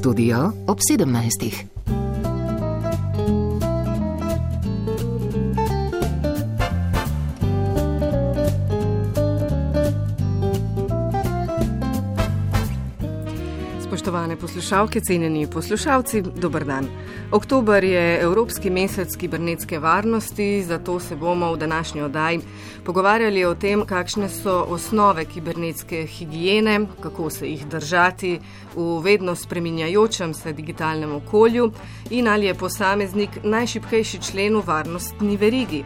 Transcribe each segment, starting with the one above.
Studio ob 17. Spoštovane poslušalke, cenjeni poslušalci, dober dan. Oktober je Evropski mesec kibernetske varnosti, zato se bomo v današnji oddaji pogovarjali o tem, kakšne so osnove kibernetske higiene, kako se jih držati v vedno spreminjajočem se digitalnem okolju in ali je posameznik najšibkejši člen v varnostni verigi.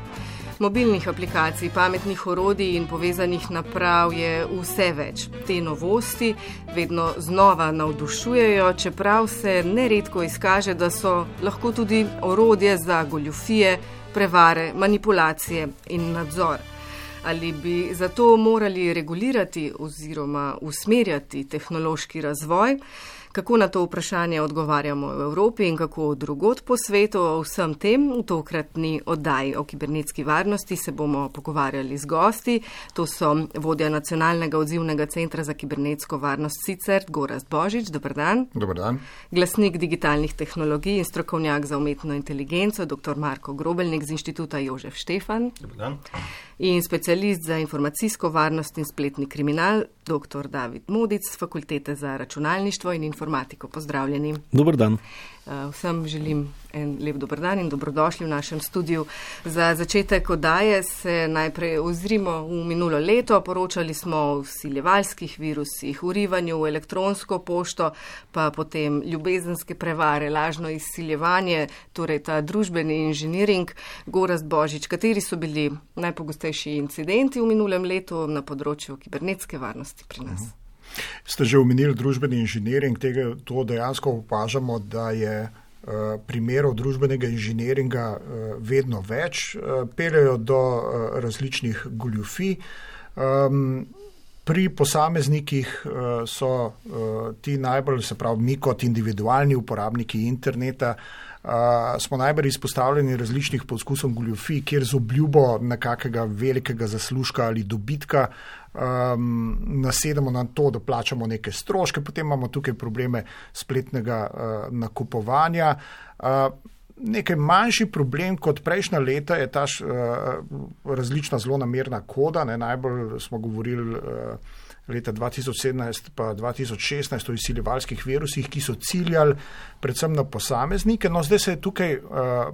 Mobilnih aplikacij, pametnih orodij in povezanih naprav je vse več. Te novosti vedno znova navdušujejo, čeprav se neredko izkaže, da so lahko tudi orodje za goljufije, prevare, manipulacije in nadzor. Ali bi zato morali regulirati oziroma usmerjati tehnološki razvoj? Kako na to vprašanje odgovarjamo v Evropi in kako drugod po svetu? O vsem tem v tokratni oddaji o kibernetski varnosti se bomo pogovarjali z gosti. To so vodja Nacionalnega odzivnega centra za kibernetsko varnost CICERT, Gorazd Božič, dober dan. Dober dan. Glasnik digitalnih tehnologij in strokovnjak za umetno inteligenco, dr. Marko Grobelnik z Inštituta Jožef Štefan. Dober dan. In specialist za informacijsko varnost in spletni kriminal, dr. David Modic z Fakultete za računalništvo in informatiko. Pozdravljeni. Dober dan. Vsem želim en lep dober dan in dobrodošli v našem studiu. Za začetek oddaje se najprej ozrimo v minulo leto. Poročali smo o vsiljevalskih virusih, vrivanju v elektronsko pošto, pa potem ljubezenske prevare, lažno izsiljevanje, torej ta družbeni inženiring. Gorazd Božič, kateri so bili najpogostejši incidenti v minulem letu na področju kibernetske varnosti pri nas? Ste že omenili družbeni inženiring, to dejansko opažamo, da je primerov družbenega inženiringa vedno več, peljejo do različnih goljufij. Pri posameznikih so ti najbolj, se pravi, mi kot individualni uporabniki interneta, smo najbolj izpostavljeni različnih poskusom goljufij, kjer z obljubo nekakega velikega zaslužka ali dobitka nasedemo na to, da plačamo neke stroške, potem imamo tukaj probleme spletnega nakupovanja. Nekaj manjši problem kot prejšnja leta je ta različna zlonamerna koda. Najbolj smo govorili leta 2017 pa 2016 o izsiljevalskih virusih, ki so ciljali predvsem na posameznike. No, zdaj se je tukaj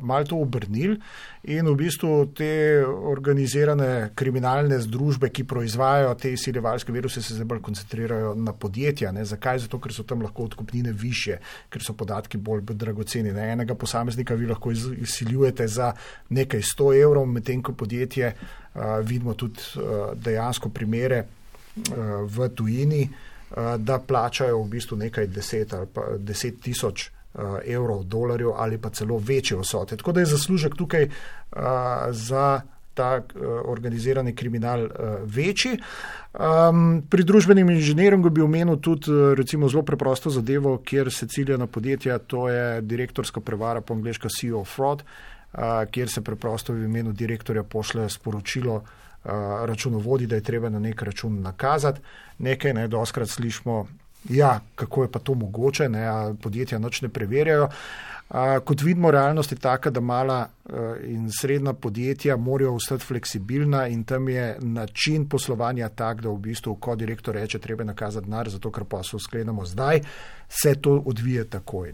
malo to obrnil in v bistvu te organizirane kriminalne združbe, ki proizvajajo te izsiljevalske viruse, se zdaj bolj koncentrirajo na podjetja. Zakaj? Zato, ker so tam lahko odkupnine višje, ker so podatki bolj dragoceni. Enega posameznika vi lahko izsiljujete za nekaj 100 evrov, medtem ko podjetje, vidimo tudi dejansko primere v tujini, da plačajo v bistvu nekaj 10 tisoč evrov, dolarjev ali pa celo večje vsote. Tako da je zaslužek tukaj za ta organizirani kriminal večji. Pri družbenem inženiringu bi omenil tudi recimo zelo preprosto zadevo, kjer se cilja na podjetja, to je direktorska prevara, po angleško CEO fraud, kjer se preprosto v imenu direktorja pošle sporočilo računovodji, da je treba na nek račun nakazati. Nekaj, doskrat slišimo, kako je pa to mogoče, podjetja nič ne preverjajo. Kot vidimo, realnost je taka, da mala in srednja podjetja morajo ostati fleksibilna in tam je način poslovanja tak, da v bistvu, ko direktor reče, treba nakazati denar, zato ker pa se sklenemo zdaj, se to odvije takoj.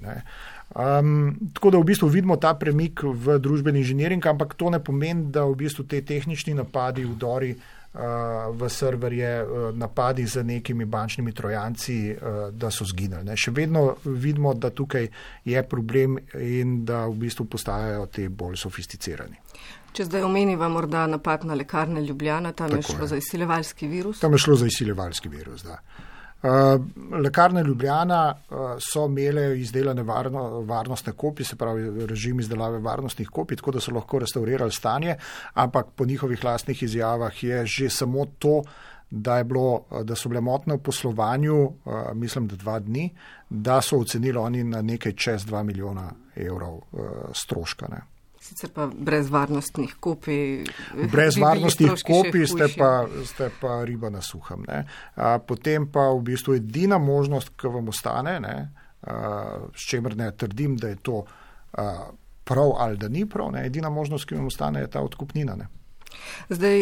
Tako da v bistvu vidimo ta premik v družbeni inženiring, ampak to ne pomeni, da v bistvu te tehnični napadi, vdori v serverje, napadi z nekimi bančnimi trojanci, da so zginili. Še vedno vidimo, da tukaj je problem in da v bistvu postajajo te bolj sofisticirani. Če zdaj omeniva morda napad na Lekarne Ljubljana, tam je šlo za izsiljevalski virus? Tam je šlo za izsiljevalski virus, da. Lekarne Ljubljana so imele izdelane varnostne kopije, se pravi režim izdelave varnostnih kopij, tako da so lahko restaurirali stanje, ampak po njihovih lastnih izjavah je že samo to, da so bile motnje v poslovanju, mislim, da 2 dni, da so ocenili oni na nekaj čez 2 milijona evrov stroška. Sicer pa brez varnostnih kopij. Brez varnostnih kopij ste pa riba na suhem. Potem pa v bistvu edina možnost, ki vam ostane, s čemer ne trdim, da je to prav ali da ni prav. Ne. Edina možnost, ki vam ostane, je ta odkupnina. Ne. Zdaj,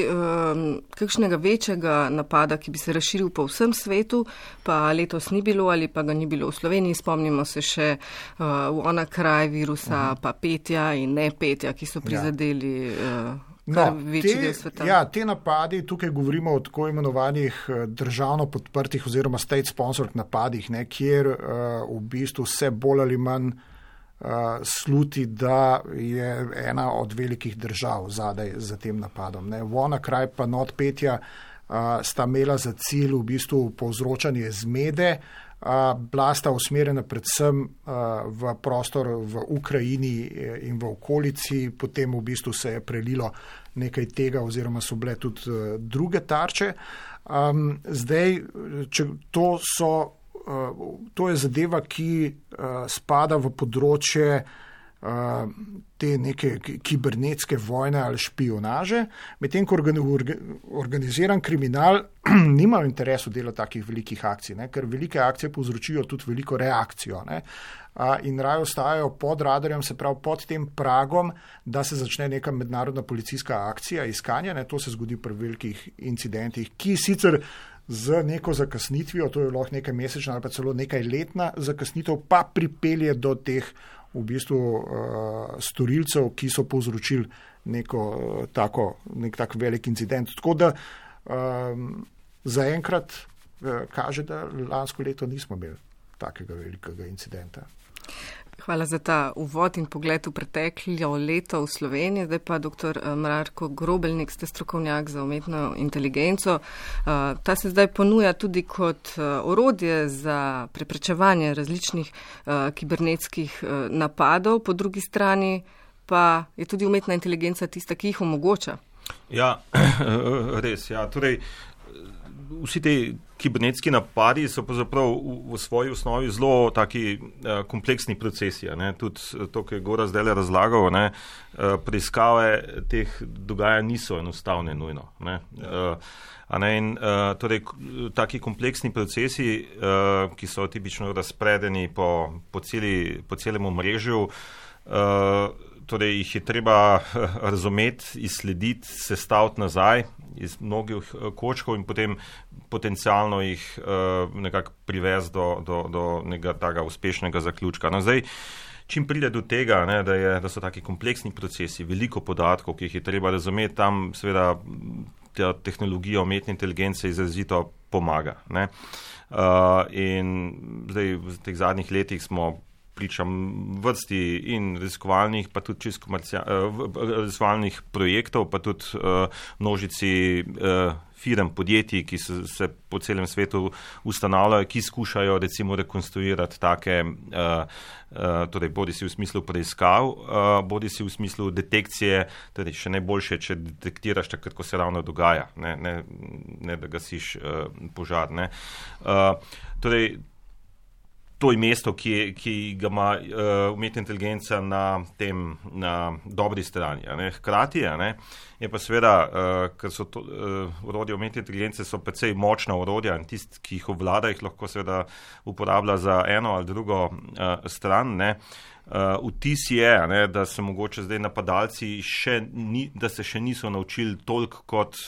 kakšnega večjega napada, ki bi se razširil po vsem svetu, pa letos ni bilo ali pa ga ni bilo v Sloveniji, spomnimo se še WannaCry virusa, pa petja in ne petja, ki so prizadeli večji del sveta. Ja, te napadi, tukaj govorimo o tako imenovanih državno podprtih oziroma state sponsored napadih, ne, kjer v bistvu vse bolj ali manj sluti, da je ena od velikih držav zadaj za tem napadom. WannaCry pa NotPetya sta imela za cilj v bistvu povzročanje zmede, bila sta usmerjena predvsem v prostor v Ukrajini in v okolici, potem v bistvu se je prelilo nekaj tega oziroma so bile tudi druge tarče. Zdaj, to je zadeva, ki spada v področje te neke kibernetske vojne ali špionaže, medtem ko organiziran kriminal nima v interesu dela takih velikih akcij, ne, ker velike akcije povzročijo tudi veliko reakcijo, ne, in raje ostajajo pod radarjem, se pravi pod tem pragom, da se začne neka mednarodna policijska akcija iskanja, ne, to se zgodi pri velikih incidentih, ki sicer z neko zakasnitvijo, to je lahko nekaj mesečna ali pa celo nekaj letna zakasnitev, pa pripelje do teh v bistvu storilcev, ki so povzročili nek tak velik incident. Tako da zaenkrat kaže, da lansko leto nismo imeli takega velikega incidenta. Hvala za ta uvod in pogled v preteklo leto v Sloveniji. Zdaj pa dr. Marko Grobelnik, ste strokovnjak za umetno inteligenco. Ta se zdaj ponuja tudi kot orodje za preprečevanje različnih kibernetskih napadov, po drugi strani pa je tudi umetna inteligenca tista, ki jih omogoča. Ja, res. Ja. Torej, vsi te kibernetski napadi so pravzaprav v svoji osnovi zelo taki kompleksni procesi. Ne? Tudi to, kar je Gorazd zdaj razlagal, ne? Preiskave teh dogajanj niso enostavne nujno. Ne? In torej, taki kompleksni procesi, ki so tipično razpredeni po celem omrežju, torej jih je treba razumeti, izslediti, sestaviti nazaj iz mnogih kočkov in potem potencialno jih nekako privesti do nekega takega uspešnega zaključka. No, zdaj, čim pride do tega, ne, da so taki kompleksni procesi, veliko podatkov, ki jih je treba razumeti, tam seveda ta tehnologija umetne inteligence izrazito pomaga. Ne. In zdaj v teh zadnjih letih smo pričam vrsti in raziskovalnih, pa tudi čisto raziskovalnih projektov, pa tudi množici firm, podjetij, ki se po celem svetu ustanavljajo, ki skušajo recimo rekonstruirati take, torej bodi si v smislu preiskav, bodi si v smislu detekcije, torej še najboljše, če detektiraš takrat, ko se ravno dogaja, ne da gasiš požar. Ne. Torej, to je mesto, ki ga ima umetna inteligenca na dobri strani. Ne. Hkrati je pa seveda, ker so orodja umetne inteligence so precej močna orodja in tisti, ki jih obvlada, jih lahko seveda uporablja za eno ali drugo stran. Ne. Vtis je, ne, da se mogoče zdaj napadalci da se še niso naučili toliko kot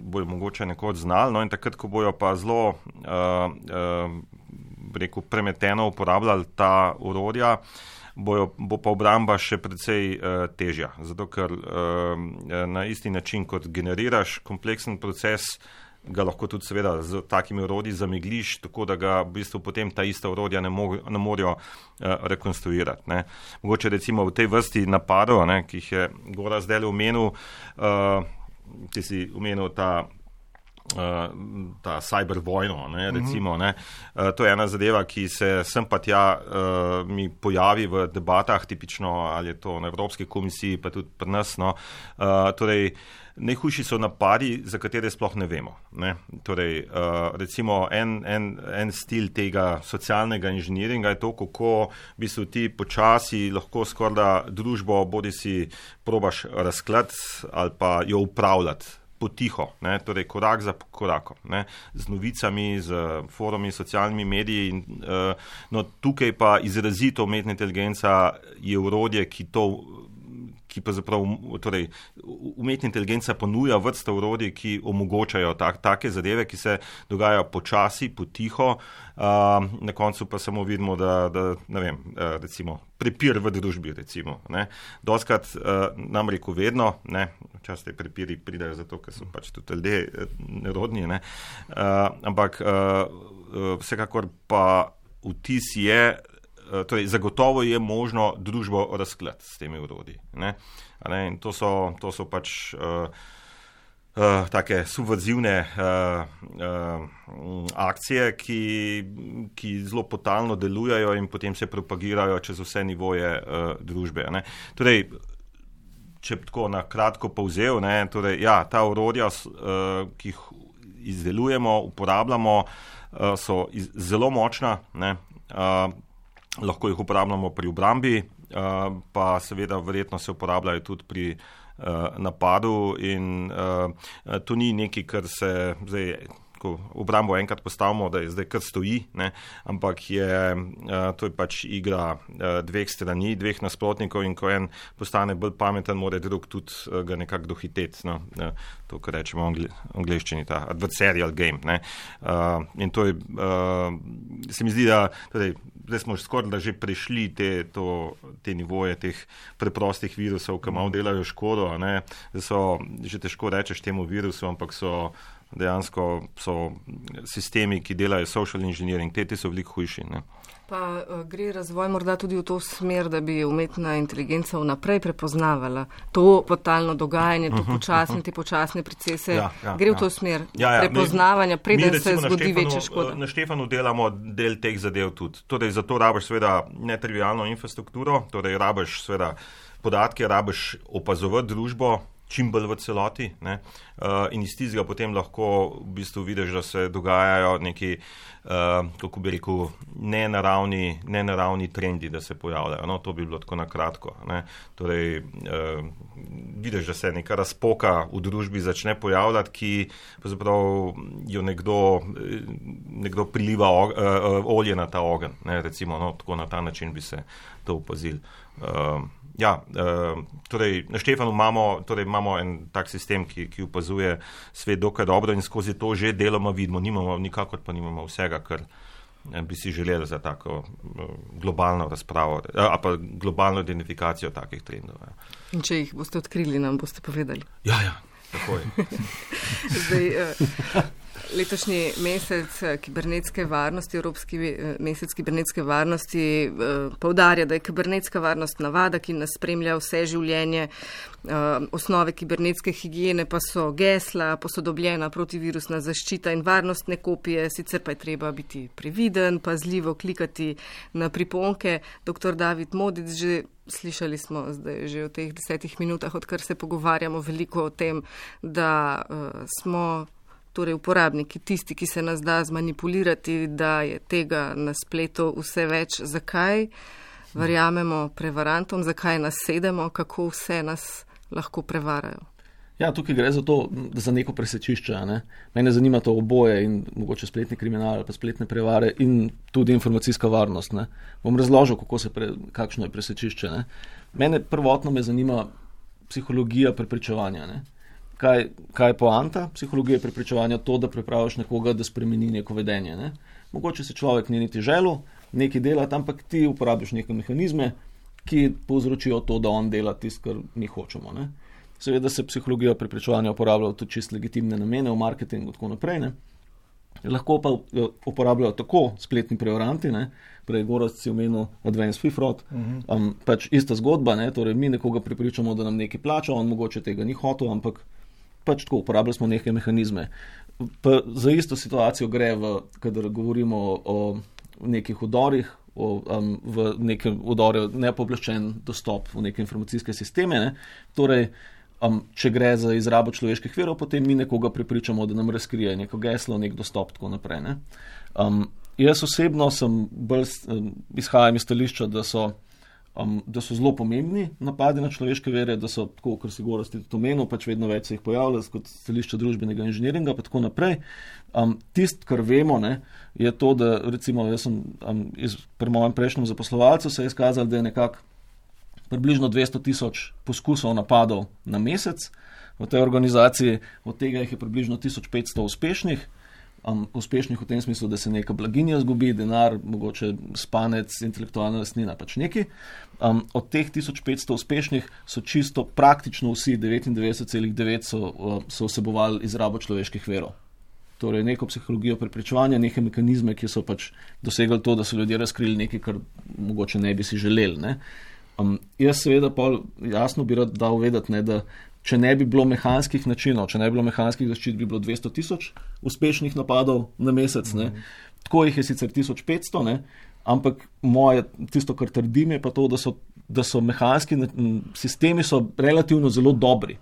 bojo mogoče nekoč znali, no, in takrat, ko bojo pa zelo premeteno uporabljali ta orodja, bo pa obramba še precej težja. Zato, ker na isti način, kot generiraš kompleksen proces, ga lahko tudi seveda z takimi orodji zamegliš, tako da ga v bistvu potem ta ista orodja ne morejo rekonstruirati. Ne. Mogoče recimo v tej vrsti napadov, ne, ki jih je Gorazd zdaj omenil, ti si omenil ta cyber vojno, ne, recimo. Ne. To je ena zadeva, ki se sem pa tja mi pojavi v debatah, tipično ali je to na Evropski komisiji, pa tudi pri nas. No. Torej, najhujši so napadi, za katere sploh ne vemo. Ne. Torej, recimo en stil tega socialnega inženiringa je to, kako v bistvu ti počasi lahko skorda družbo bodi si probaš razklati ali pa jo upravljati potiho, ne, torej korak za korakom, ne, z novicami, z forumi, socialnimi mediji. No, tukaj pa izrazito umetna inteligenca je orodje, ki pa zapravo, torej, umetna inteligenca ponuja vrsto orodij, ki omogočajo take zadeve, ki se dogajajo počasi, potiho, na koncu pa samo vidimo, da ne vem, recimo, prepir v družbi, recimo, ne. Doskrat, nam rekel vedno, ne, včasih te prepiri pridajo zato, ker so pač tudi ljudje nerodni, ne, ampak vsekakor pa vtis je, torej, zagotovo je možno družbo razklati s temi orodji. In to so pač take subverzivne akcije, ki zelo potalno delujejo in potem se propagirajo čez vse nivoje družbe. Torej, če tako na kratko povzel, torej, ja, ta orodja, ki jih izdelujemo, uporabljamo, so zelo močna, lahko jih uporabljamo pri obrambi, pa seveda verjetno se uporabljajo tudi pri napadu in to ni nekaj, kar se zdaj, ko obrambo enkrat postavimo, da je zdaj kar stoji, ne, ampak to je pač igra dveh strani, dveh nasprotnikov in ko en postane bolj pameten, mora drug tudi ga nekako dohiteti, no, to, kar rečemo v angleščini, ta adversarial game, ne, in to je, se mi zdi, da torej, zdaj smo skoraj že prešli te nivoje teh preprostih virusov, ki malo delajo škodo, ne, da so, že težko rečeš temu virusu, ampak dejansko so sistemi, ki delajo social engineering, te so veliko hujši. Ne. Pa gre razvoj morda tudi v to smer, da bi umetna inteligenca vnaprej prepoznavala to totalno dogajanje, te počasne procese. Gre v to smer prepoznavanja, preden se zgodi večja škoda. Na Štefanu delamo del teh zadev tudi. Torej, zato rabiš seveda netrivialno infrastrukturo, torej rabiš seveda podatke, rabiš opazovati družbo, čim bolj v celoti, ne, in iz tistega potem lahko v bistvu vidiš, da se dogajajo neki, kako bi rekel, nenaravni trendi, da se pojavljajo. No, to bi bilo tako na kratko, ne. Torej, vidiš, da se neka razpoka v družbi začne pojavljati, ki pravzaprav jo nekdo priliva olje na ta ogenj, ne, recimo, no, tako na ta način bi se to opazili. Torej, na Štefanu imamo en tak sistem, ki opazuje svet dokaj dobro in skozi to že deloma vidimo, nikakor pa nimamo vsega, kar bi si želeli za tako globalno razpravo, pa globalno identifikacijo takih trendov. Ja. In če jih boste odkrili, nam boste povedali. Ja, tako je. Zdaj, letošnji mesec kibernetske varnosti, Evropski mesec kibernetske varnosti poudarja, da je kibernetska varnost navada, ki nas spremlja vse življenje. Osnove kibernetske higiene pa so gesla, posodobljena protivirusna zaščita in varnostne kopije, sicer pa je treba biti previden, pazljivo klikati na priponke. Dr. David Modic, slišali smo zdaj že v teh 10 minutah, odkar se pogovarjamo veliko o tem, da smo torej uporabniki, tisti, ki se nas da zmanipulirati, da je tega na spletu vse več. Zakaj verjamemo prevarantom, zakaj nas sedemo, kako vse nas lahko prevarajo? Ja, tukaj gre za neko presečišče. Ne? Mene zanima to oboje in mogoče spletni kriminal ali pa spletne prevare in tudi informacijska varnost. Ne? Bom razložil, kakšno je presečišče. Ne? Mene prvotno me zanima psihologija prepričevanja. Ne? Kaj je poanta psihologije prepričevanja? To, da pripraviš nekoga, da spremeni neko vedenje. Ne? Mogoče se človek ni niti želel nekaj delati, ampak ti uporabiš neke mehanizme, ki povzročijo to, da on dela tisto, kar mi hočemo. Ne? Seveda se psihologija prepričevanja uporablja tudi čisto legitimne namene v marketingu in tako naprej. Ne? Lahko pa uporabljajo tako spletni prevaranti, ne? Prej Gorazd si omenil Advanced Fee Fraud, pač ista zgodba, ne? Torej mi nekoga prepričamo, da nam nekaj plača, on mogoče tega ni hotel, ampak pač tako uporabljali smo neke mehanizme. Pa za isto situacijo gre, kadar govorimo o nekih vdorih, v neke vdore nepooblaščen dostop v neke informacijske sisteme. Ne? Torej, če gre za izrabo človeških virov, potem mi nekoga prepričamo, da nam razkrije neko geslo, nek dostop, tako naprej. Ne? Jaz osebno izhajam iz stališča, da so da so zelo pomembni napadi na človeške vere, da so, tako kar si Gorazd tudi omenil, pač vedno več se jih pojavlja kot stališče družbenega inženiringa, pa tako naprej. Tisto, kar vemo, ne, je to, da recimo jaz sem pri mojem prejšnjem zaposlovalcu se je izkazalo, da je nekako približno 200,000 poskusov napadov na mesec v tej organizaciji, od tega jih je približno 1500 uspešnih. Uspešnih v tem smislu, da se neka blaginja zgubi, denar, mogoče spanec, intelektualna lastnina, pač neki. Od teh 1500 uspešnih so čisto praktično vsi, 99,9 so vsebovali izrabo človeških verov. Torej neko psihologijo preprečevanja, neke mehanizme, ki so pač dosegli to, da so ljudje razkrili nekaj, kar mogoče ne bi si želeli. Ne. Jaz seveda jasno bi rad dal vedeti, ne, da če ne bi bilo mehanskih načinov, če ne bi bilo mehanskih zaščit, bi bilo 200,000 uspešnih napadov na mesec. Ne. Tako jih je sicer 1500, ne, ampak tisto, kar trdim, je pa to, da so mehanski sistemi so relativno zelo dobri.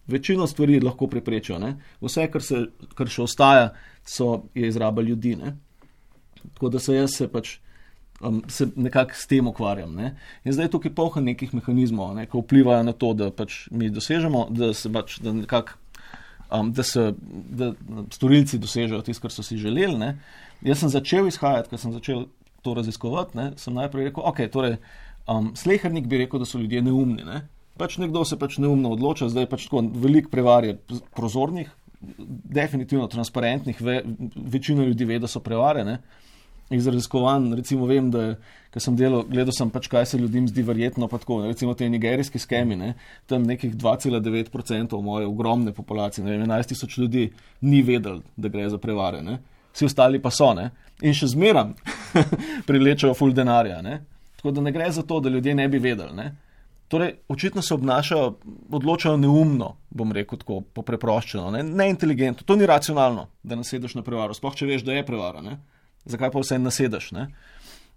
Večino stvari lahko preprečijo. Ne. Vse, kar še ostaja, je izraba ljudi. Ne. Tako da se nekako s tem ukvarjam. Ne. In zdaj tukaj polha nekih mehanizmov, ne, ki vplivajo na to, da pač mi dosežemo, da storilci dosežejo tisto, kar so si želeli. Ne. Jaz sem začel izhajati, ko sem začel to raziskovati, ne, sem najprej rekel, torej, slehernik bi rekel, da so ljudje neumni. Ne. Pač nekdo se pač neumno odloča, zdaj pač tako veliko prevar je prozornih, definitivno transparentnih, večina ljudi ve, da so prevare, ne. Iz raziskovanj, recimo vem, da ko sem gledal sem pač, kaj se ljudem zdi verjetno, pa tako, recimo te nigerijski skemi, ne, tam nekih 2,9% moje ogromne populacije, 11,000 ljudi ni vedel, da gre za prevare, ne. Vsi ostali pa so, ne, in še zmeram privlečejo ful denarja, ne. Tako da ne gre za to, da ljudje ne bi vedeli, ne. Torej, očitno se odločajo neumno, bom rekel tako, popreproščeno, neinteligentno, to ni racionalno, da nasedeš na prevaro, sploh če veš, da je prevara, ne. Zakaj pa vse nasedeš, ne?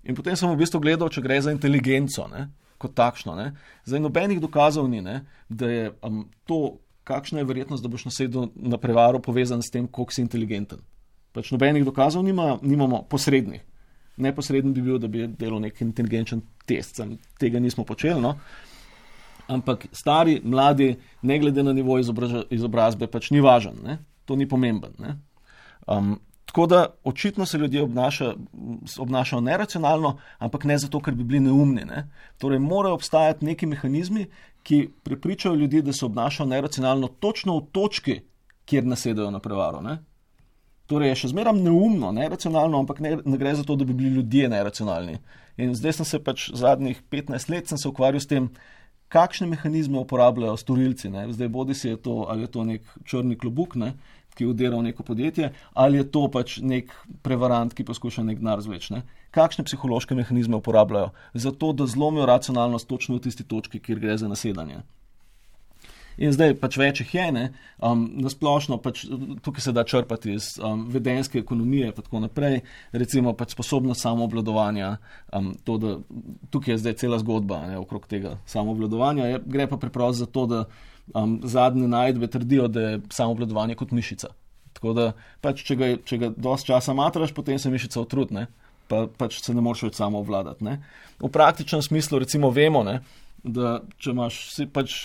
In potem sem v bistvu gledal, če gre za inteligenco, ne? Kot takšno, ne? Zdaj nobenih dokazov ni, ne? Da je to, kakšna je verjetnost, da boš nasedel na prevaro povezan s tem, koliko si inteligenten. Pač nobenih dokazov nimamo posrednih. Neposreden bi bil, da bi delal nek inteligenčen test, tega nismo počeli, no? Ampak stari, mladi, ne glede na nivo izobrazbe, pač ni važen, ne? To ni pomemben, ne? Tako da očitno se ljudje obnašajo neracionalno, ampak ne zato, ker bi bili neumni. Ne? Torej morajo obstajati neki mehanizmi, ki prepričajo ljudi, da se obnašajo neracionalno točno v točki, kjer nasedajo na prevaro. Ne? Torej je še zmeram neumno, neracionalno, ampak ne gre za to, da bi bili ljudje neracionalni. In zdaj sem se pač zadnjih 15 let sem se ukvarjal s tem, kakšne mehanizme uporabljajo storilci. Ne? Zdaj bodi si je to, ali je to nek črni klobuk, ne? Ki udira v neko podjetje, ali je to pač nek prevarant, ki poskuša nek denar zvleči. Ne? Kakšne psihološke mehanizme uporabljajo? Zato, da zlomijo racionalnost točno v tisti točki, kjer gre za nasedanje. In zdaj pač več jih je, ne? Nasplošno pač tukaj se da črpati iz vedenjske ekonomije pa tako naprej, recimo pač sposobnost samoobvladovanja, tukaj je zdaj cela zgodba, ne, okrog tega samoobvladovanja, gre pa preprosto za to, da zadnje najdbe trdijo, da je samoobvladovanje kot mišica. Tako da pač, če ga dosti časa matraš, potem se mišica utrudi, ne? Pa pač se ne moreš več samoobvladati. Ne? V praktičnem smislu recimo vemo, ne, da če imaš,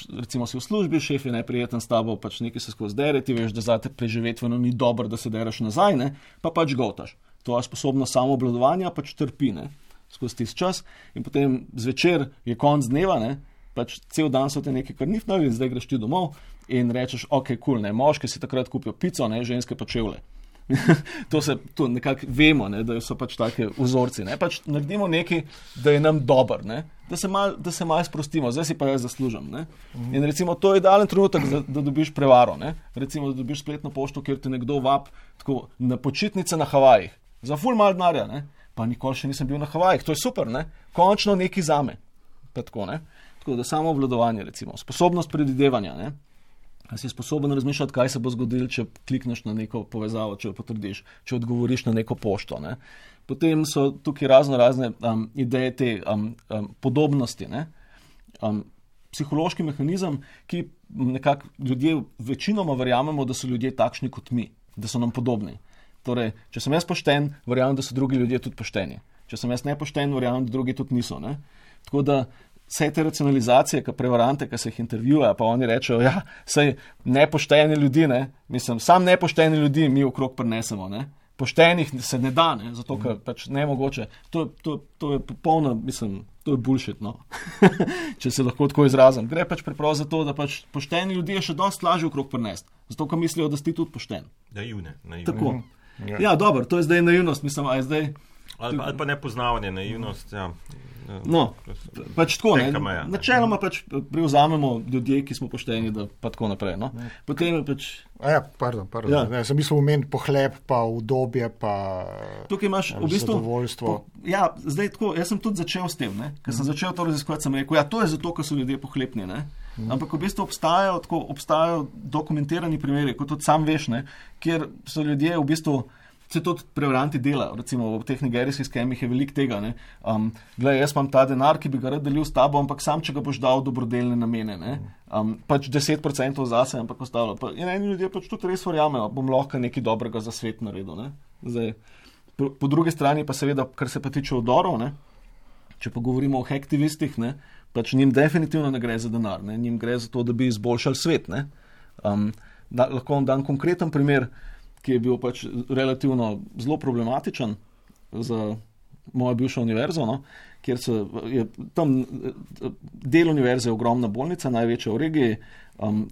recimo si v službi, šef je neprijeten s tabo, pač nekaj se skozi dere, ti veš, da zate preživetveno ni dobro, da se dereš nazaj, ne? Pa pač gotaš. Tvoja sposobnost samoobvladovanja pač trpi, ne? Skozi tisti čas in potem zvečer je konc dneva, ne? Pač cel dan so te nekaj karnifnali in zdaj greš ti domov in rečeš, ok, cool, ne, moški si takrat kupijo pico, ne, ženske pa čevlje. To nekako vemo, ne, da so pač take vzorci, ne, pač naredimo nekaj, da je nam dober, ne, da se malo sprostimo, zdaj si pa jaz zaslužim, ne. In recimo to je idealen trenutek, da dobiš prevaro, ne, recimo da dobiš spletno pošto, kjer te nekdo vab tako na počitnice na Havajih, za ful malo denarja, ne, pa nikoli še nisem bil na Havajih, to je super, ne, končno nekaj zame, pa tako, ne. Tako da samo obvladovanje, recimo, sposobnost predvidevanja, ne? A si sposoben razmišljati, kaj se bo zgodilo, če klikneš na neko povezavo, če jo potrdiš, če odgovoriš na neko pošto, ne? Potem so tukaj razne ideje te podobnosti, ne? Psihološki mehanizem, ki nekako ljudje večinoma verjamemo, da so ljudje takšni kot mi, da so nam podobni. Torej, če sem jaz pošten, verjamem, da so drugi ljudje tudi pošteni. Če sem jaz nepošten, verjamem, da drugi tudi niso, ne? Tako da vse te racionalizacije, prevarante, ki se jih intervjuja, pa oni rečejo, ja, saj nepošteni ljudi, ne, mislim, sam nepošteni ljudi mi okrog prinesemo, ne. Poštenih se ne da, ne, zato ker pač nemogoče. To je popolno, mislim, to je bullshit, no. Če se lahko tako izrazim. Gre pač preprosto za to, da pač pošteni ljudje še dosti lažje okrog prinesti, zato ker mislijo, da si tudi pošten. Naivne. Tako. Ja, dobro, to je zdaj naivnost, mislim, a je zdaj... Ali pa nepoznavanje, naivnost, ja. No, pač tako, ne. Načeloma pač prevzamemo ljudje, ki smo pošteni, da pa tako naprej, no. Potem je pač... Pardon. Ja. Ne, sem mislil omeniti pohlep, pa udobje, pa tukaj imaš v bistvu zadovoljstvo. Ja, zdaj tako, jaz sem tudi začel s tem, ne. Ker sem začel to raziskovati, sem rekel, ja, to je zato, ker so ljudje pohlepni, ne. Ampak v bistvu obstajajo dokumentirani primeri, kot tudi sam veš, ne, kjer so ljudje v bistvu se tudi prevaranti delajo, recimo v teh nigerijskih skemih je veliko tega, ne. Glej, jaz imam ta denar, ki bi ga rad delil s tabo, ampak sam, če ga boš dal dobrodelne namene, ne. Pač 10% zase, ampak ostalo. In eni ljudje pač tudi res verjamejo, bom lahko nekaj dobrega za svet naredil, ne. Zdaj, po drugi strani pa seveda, kar se pa tiče vdorov, ne, če pa govorimo o hacktivistih, ne, pač njim definitivno ne gre za denar, ne, njim gre za to, da bi izboljšali svet, ne. Lahko vam dam konkreten primer, ki je bil pač relativno zelo problematičen za mojo bivšo univerzo, no, kjer je tam del univerze je ogromna bolnica, največja v regiji,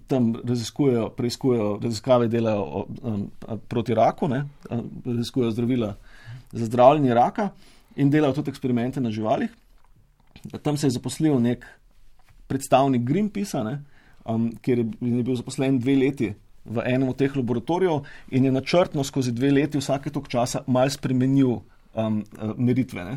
tam preiskujejo, raziskave delajo proti raku, ne, raziskujejo zdravila za zdravljenje raka in delajo tudi eksperimente na živalih. Tam se je zaposlil nek predstavnik Greenpeacea, ne, kjer je bil zaposlen 2 leti v enem od teh laboratorijev in je načrtno skozi 2 leti vsake toliko časa malo spremenil meritve, ne.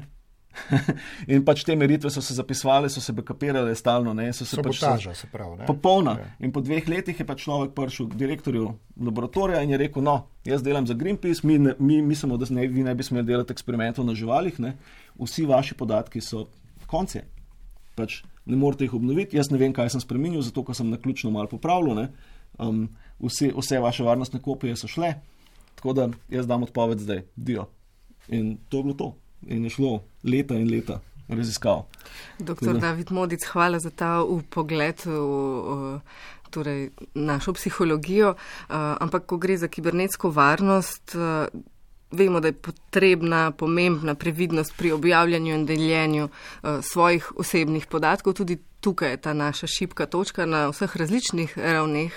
In pač te meritve so se zapisovale, so se backupirale stalno, ne. Sabotaža, se pravi, ne. Popolna. Ja. In po 2 letih je pač človek prišel k direktorju laboratorija in je rekel, no, jaz delam za Greenpeace, mi mislimo, da vi ne bi smeli delati eksperimentov na živalih, ne. Vsi vaši podatki so konci. Pač ne morete jih obnoviti, jaz ne vem, kaj sem spremenil, zato ker sem naključno malo popravljal, ne. Vse vaše varnostne kopije so šle, tako da jaz dam odpoved zdaj, dio. In to je bilo to. In je šlo leta in leta raziskav. Dr. David Modic, hvala za ta vpogled v torej, našo psihologijo, ampak ko gre za kibernetsko varnost, vemo, da je potrebna pomembna previdnost pri objavljanju in deljenju svojih osebnih podatkov, tudi tukaj je ta naša šibka točka na vseh različnih ravneh.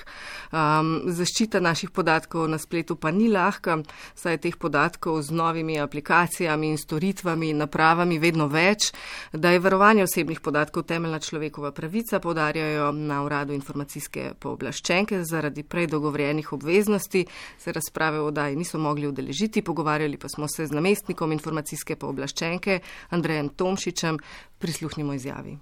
Zaščita naših podatkov na spletu pa ni lahka, saj je teh podatkov z novimi aplikacijami in storitvami in napravami vedno več. Da je varovanje osebnih podatkov temeljna človekova pravica, poudarjajo na Uradu informacijske pooblaščenke. Zaradi prej dogovorjenih obveznosti se razprave v oddaji niso mogli udeležiti, pogovarjali pa smo se z namestnikom informacijske pooblaščenke Andrejem Tomšičem. Prisluhnimo izjavi.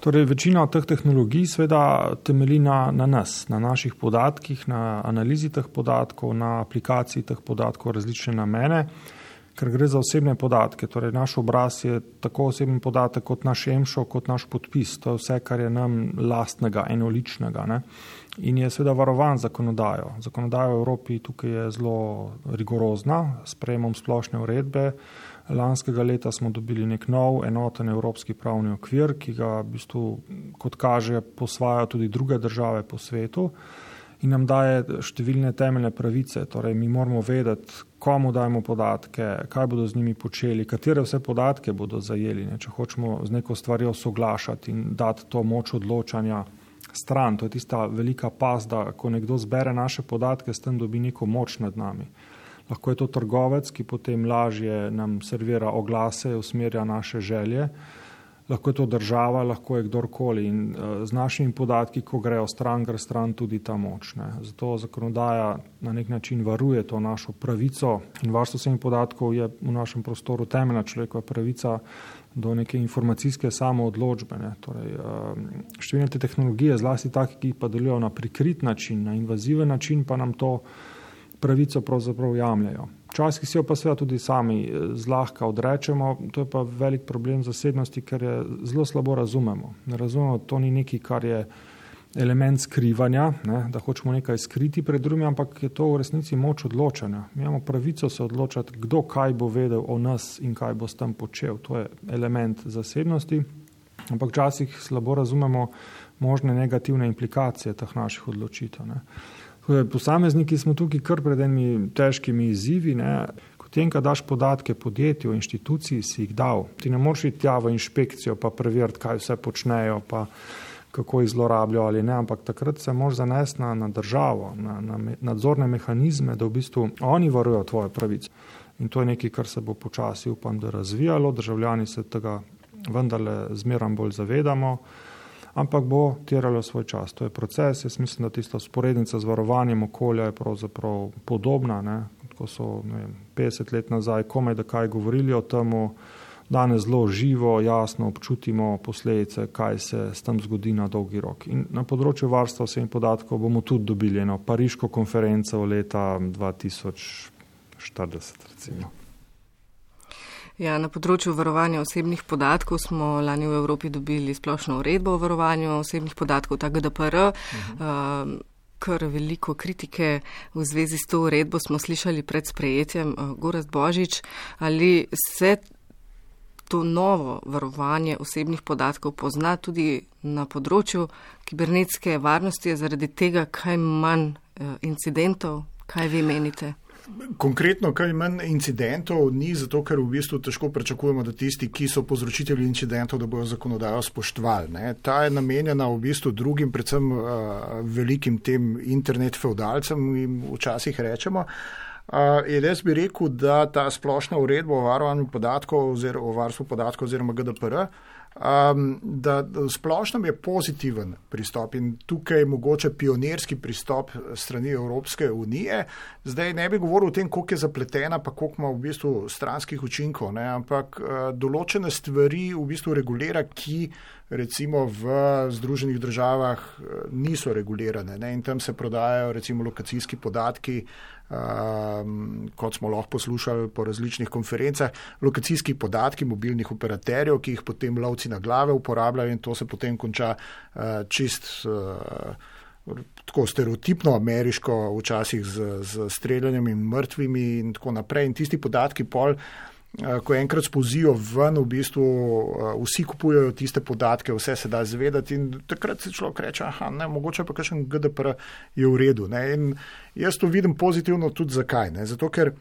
Torej, večina teh tehnologij seveda temelji na nas, na naših podatkih, na analizi teh podatkov, na aplikaciji teh podatkov različne namene, ker gre za osebne podatke. Torej, naš obraz je tako osebni podatek kot naš EMŠO, kot naš podpis. To je vse, kar je nam lastnega, enoličnega, ne? In je seveda varovan zakonodajo. Zakonodaja v Evropi tukaj je zelo rigorozna, s sprejemom splošne uredbe. Lanskega leta smo dobili nek nov enoten evropski pravni okvir, ki ga v bistvu, kot kaže, posvajajo tudi druge države po svetu in nam daje številne temeljne pravice. Torej, mi moramo vedeti, komu dajemo podatke, kaj bodo z njimi počeli, katere vse podatke bodo zajeli, ne? Če hočemo z neko stvarjo soglašati in dati to moč odločanja stran. To je tista velika past, da ko nekdo zbere naše podatke, s tem dobi neko moč nad nami. Lahko je to trgovec, ki potem lažje nam servira oglase, usmerja naše želje. Lahko je to država, lahko je kdorkoli. In z našimi podatki, ko grejo stran, gre stran tudi ta moč, ne. Zato zakonodaja na nek način varuje to našo pravico in varstvo osebnih podatkov je v našem prostoru temeljna človekova pravica do neke informacijske samoodločbe, ne. Torej, številne te tehnologije, zlasti take, ki pa delujejo na prikrit način, na invaziven način, pa nam to pravico pravzaprav jamljajo. Včasih si jo pa seveda tudi sami zlahka odrečemo, to je pa velik problem zasebnosti, ker je zelo slabo razumemo. Ne razumemo, to ni nekaj, kar je element skrivanja, ne, da hočemo nekaj skriti pred drugimi, ampak je to v resnici moč odločanja. Mi imamo pravico se odločati, kdo kaj bo vedel o nas in kaj bo s tem počel. To je element zasebnosti ampak včasih slabo razumemo možne negativne implikacije teh naših odločitev. Ne. Posamezniki smo tukaj kar pred enimi težkimi izzivi. Potem, ko daš podatke podjetju, inštituciji, si jih dal. Ti ne moreš iti tja v inšpekcijo pa preveriti, kaj vse počnejo, pa kako jih zlorabljajo ali ne, ampak takrat se moraš zanesti na državo, na nadzorne mehanizme, da v bistvu oni varujo tvoje pravice. In to je nekaj, kar se bo počasi, upam, da razvijalo. Državljani se tega vendarle zmeram bolj zavedamo, ampak bo terjalo svoj čas. To je proces. Jaz mislim, da tista sporednica z varovanjem okolja je pravzaprav podobna, ne? Ko so 50 let nazaj komaj da kaj govorili o temu, danes zelo živo, jasno občutimo posledice, kaj se s tem zgodi na dolgi rok. In na področju varstva osebnih podatkov bomo tudi dobili eno pariško konferenco leta 2040, recimo. Ja, na področju varovanja osebnih podatkov smo lani v Evropi dobili splošno uredbo o varovanju osebnih podatkov, ta GDPR. Kar veliko kritike v zvezi s to uredbo smo slišali pred sprejetjem. Gorazd Božič, ali se to novo varovanje osebnih podatkov pozna tudi na področju kibernetske varnosti, je zaradi tega kaj manj incidentov? Kaj vi menite? Konkretno, kaj manj incidentov ni, zato ker v bistvu težko pričakujemo, da tisti, ki so povzročitelji incidentov, da bojo zakonodajo spoštovali. Ta je namenjena v bistvu drugim, predvsem velikim tem internet feudalcem, jim včasih rečemo. Jaz bi rekel, da ta splošna uredba o varovanju podatkov oziroma o varstvu podatkov oziroma GDPR, da splošno je pozitiven pristop in tukaj mogoče pionirski pristop strani Evropske unije. Zdaj ne bi govoril o tem, koliko je zapletena, pa koliko ima v bistvu stranskih učinkov, ampak določene stvari v bistvu regulira, ki recimo v Združenih državah niso regulirane. In tam se prodajajo recimo lokacijski podatki, kot smo lahko poslušali po različnih konferencah, lokacijski podatki mobilnih operaterjev, ki jih potem lovci na glave uporabljajo in to se potem konča čist tako stereotipno ameriško, včasih z streljanjem in mrtvimi in tako naprej. In tisti podatki pol, ko enkrat spozijo ven, v bistvu vsi kupujejo tiste podatke, vse se da zvedati in takrat se človek reče, mogoče pa kakšen GDPR je v redu. In jaz to vidim pozitivno tudi zakaj. Zato ker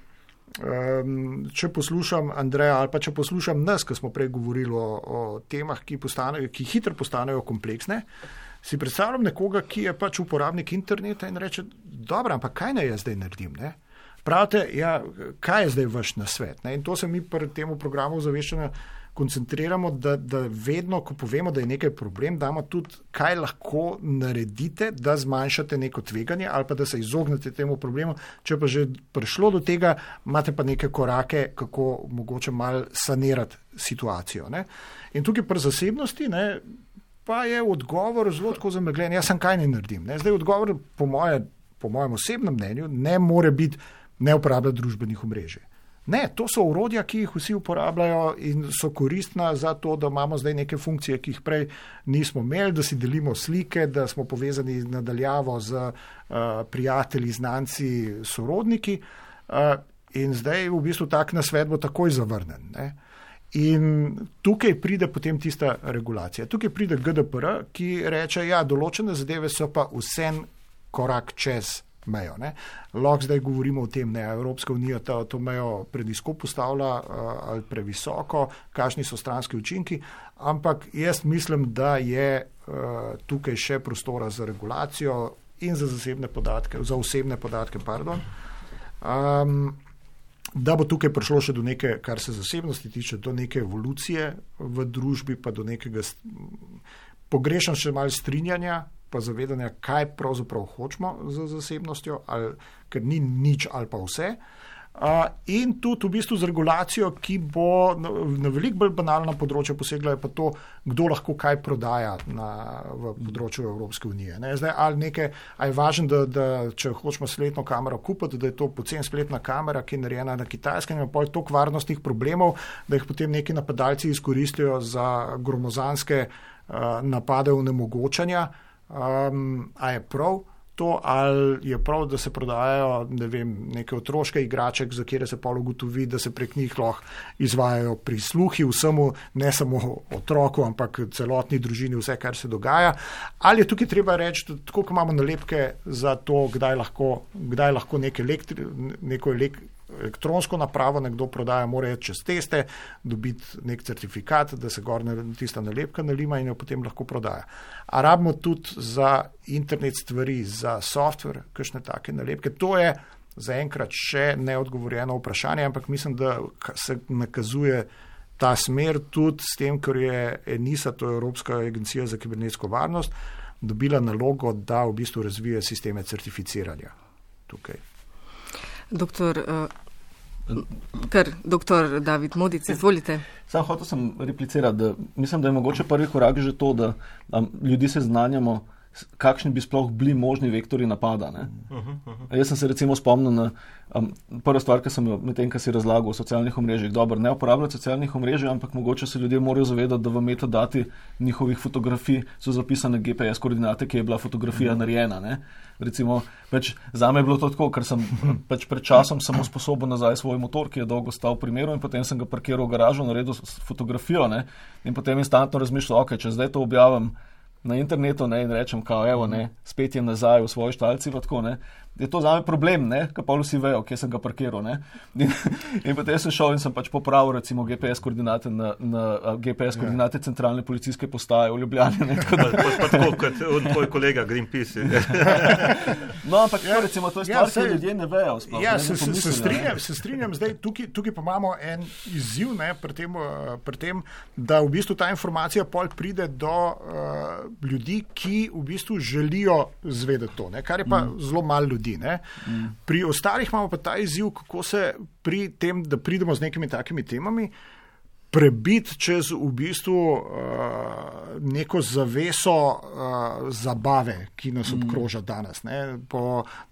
če poslušam Andreja ali pa če poslušam nas, ko smo prej govorili o temah, ki hitro postanejo kompleksne, si predstavljam nekoga, ki je pač uporabnik interneta in reče, dobro, ampak kaj naj jaz zdaj naredim, Pravite, kaj je zdaj vaš nasvet? In to se mi pri tem programu ozaveščanja koncentriramo, da vedno, ko povemo, da je nekaj problem, damo tudi, kaj lahko naredite, da zmanjšate neko tveganje ali pa da se izognete temu problemu. Če pa že prišlo do tega, imate pa neke korake, kako mogoče malo sanirati situacijo. In tukaj pri zasebnosti pa je odgovor zelo tako zamegljen. Jaz sem kaj ne naredim. Zdaj odgovor po mojem osebnem mnenju ne more biti ne uporablja družbenih omrežij. Ne, to so orodja, ki jih vsi uporabljajo in so koristna za to, da imamo zdaj neke funkcije, ki jih prej nismo imeli, da si delimo slike, da smo povezani nadaljavo z prijatelji, znanci, sorodniki in zdaj v bistvu tak nasvet bo takoj zavrnen. In tukaj pride potem tista regulacija. Tukaj pride GDPR, ki reče, določene zadeve so pa vse korak čez mejo. Lahko zdaj govorimo o tem, Evropska unija to mejo prenizko postavlja ali previsoko, kakšni so stranski učinki, ampak jaz mislim, da je tukaj še prostora za regulacijo in za osebne podatke, da bo tukaj prišlo še do neke, kar se zasebnosti tiče, do neke evolucije v družbi, pa do nekega pogrešam še malo strinjanja, pa zavedanja, kaj pravzaprav hočemo z zasebnostjo, ker ni nič ali pa vse. In tudi v bistvu z regulacijo, ki bo na veliko bolj banalno področje posegla, je pa to, kdo lahko kaj prodaja v področju Evropske unije. Zdaj, ali je važno, da če hočemo spletno kamero kupiti, da je to poceni spletna kamera, ki je narejena na Kitajskem, ima pol toliko varnostnih problemov, da jih potem neki napadalci izkoristijo za gromozanske napade onemogočanja. A je prav? to, ali je prav, da se prodajajo neke otroške igraček, za kjer se pa ugotovi, da se prek njih lahko izvajajo prisluhi vsemu, ne samo otroku, ampak celotni družini, vse, kar se dogaja. Ali je tukaj treba reči, tako kot imamo nalepke za to, kdaj lahko neko elektronsko napravo nekdo prodaja, mora čez teste, dobiti nek certifikat, da se gor tista nalepka nalima in jo potem lahko prodaja. A rabimo tudi za internet stvari, za software, kakšne take nalepke. To je zaenkrat še neodgovorjeno vprašanje, ampak mislim, da se nakazuje ta smer tudi s tem, ker je ENISA, to je Evropska agencija za kibernetsko varnost, dobila nalogo, da v bistvu razvije sisteme certificiranja tukaj. Doktor David Modic, izvolite. Sam hotel sem replicirati, da mislim, da je mogoče prvi korak že to, da ljudi seznanjamo, kakšni bi sploh bili možni vektori napada. Ne? Jaz sem se recimo spomnil na prva stvar, ki sem jo med tem, kar si razlagal o socialnih omrežjih. Dobro, ne uporabljati socialnih omrežij, ampak mogoče se ljudje morajo zavedati, da v metadati njihovih fotografij so zapisane GPS koordinate, ki je bila fotografija narejena. Ne? Recimo, zame je bilo to tako, ker sem pred časom samo sposoben nazaj svoj motor, ki je dolgo stal v primeru in potem sem ga parkiral v garažu, naredil fotografijo, ne? In potem instantno razmišljal, ok, če zdaj to objavim na internetu, ne, in rečem, kao, evo, ne, spet je nazaj v svoji štalci, tako, ne, je to zame problem, ne, ker pa vsi vejo, kje sem ga parkiral, ne. In potem sem šel in sem popravil, recimo, GPS koordinate na GPS koordinate centralne policijske postaje v Ljubljani, ne, tako da. Pa tako, kot tvoj kolega Greenpeace. No, ampak recimo, to je stvar, ki ljudje ne vejo. Sploh, ja, se strinjam, zdaj tukaj pa imamo en izziv, ne, pri tem, da v bistvu ta informacija pol pride do ljudi, ki v bistvu želijo zvedeti to, ne, kar je pa zelo malo ljudi. Ne. Pri ostalih imamo pa ta izziv, kako se pri tem, da pridemo z nekimi takimi temami, prebiti čez v bistvu neko zaveso zabave, ki nas obkroža danes. Ne.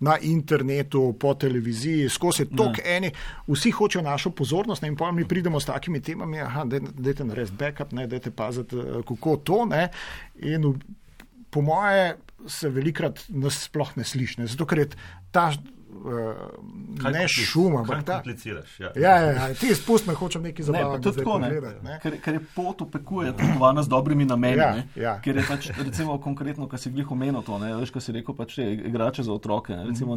Na internetu, po televiziji, skozi toliko eni, vsi hočejo našo pozornost, ne, in potem mi pridemo s takimi temami, dajte narediti backup, ne, dajte paziti, kako to, ne, in po moje se velikrat nas sploh ne sliši, zato ker je ta ne šuma. Kaj kompliciraš? Ja, ti spust me hočem nekaj zabavati. Ker je pot upekuje potovana z dobrimi nameni, ker je pač, recimo konkretno, kar si glih omenil to, ne, veš, kar si rekel, pač igrače za otroke. Ne, recimo,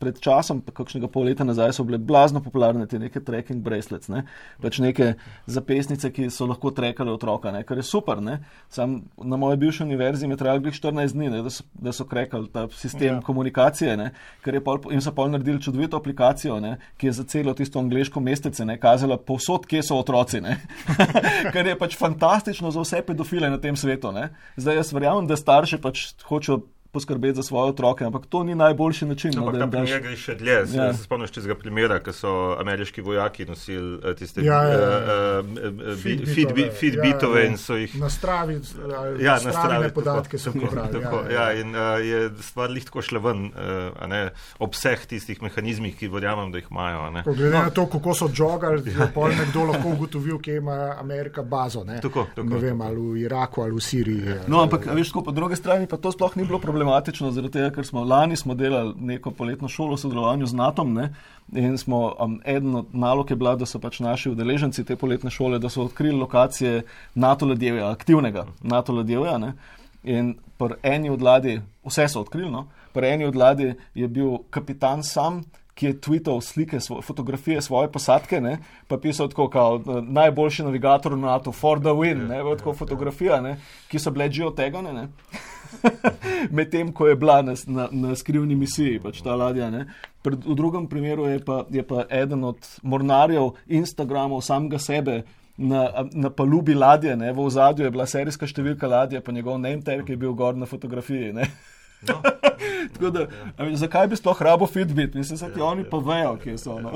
pred časom, kakšnega pol leta nazaj, so bile blazno popularne te neke tracking bracelets, ne, pač neke zapestnice, ki so lahko trackale otroka, ne, kar je super, ne. Sam na moje bivše univerzi me trajalo glih 14 dni, ne, da so krekali ta sistem komunikacije, ne, ker je in so pol naredili čudovito aplikacijo, ne, ki je za celo tisto angleško mestece, ne, kazala povsod, kje so otroci, ne. Kar je pač fantastično za vse pedofile na tem svetu, ne. Zdaj jaz verjamem, da starši pač hočejo poskrbeti za svoje otroke, ampak to ni najboljši način. No, ampak ta primer gre še dlje. Se spomniš tistega primera, ko so ameriški vojaki nosili tiste Fitbitove in so jih nastavljene podatke so pobrali. In je stvar lih tako šla ven, ob vseh tistih mehanizmih, ki verjamem, da jih imajo. Glede na to, kako so jogali, je pol nekdo lahko ugotovil, kje ima Amerika bazo. Tako. Ne vem, ali v Iraku, ali v Siriji. No, ampak veš, po druge strani pa to sploh ni bilo problematično, zaradi tega, ker lani smo delali neko poletno šolo v sodelovanju z NATO-om, ne, in smo, eden od nalog je bila, da so pač naši udeleženci te poletne šole, da so odkrili lokacije NATO ladjevja, aktivnega NATO ladjevja, ne, in pri eni od ladij, vse so odkrili, no, pri eni od ladij je bil kapitan sam, ki je tweetal slike, fotografije svoje posadke, ne, pa pisal tako, kao najboljši navigator na NATO, for the win, ne, tako fotografija, ne, ki so bile geotegane, ne. Medtem, ko je bila na skrivni misiji, pač ta ladja. Ne. V drugem primeru je pa eden od mornarjev Instagramov samega sebe na palubi ladje, ne. V ozadju je bila serijska številka ladje, pa njegov name tag je bil gor na fotografiji. Ne. No. Tako da, zakaj bi sploh rabo Fitbit? Mislim, da ti oni pa vejo, kje so. No.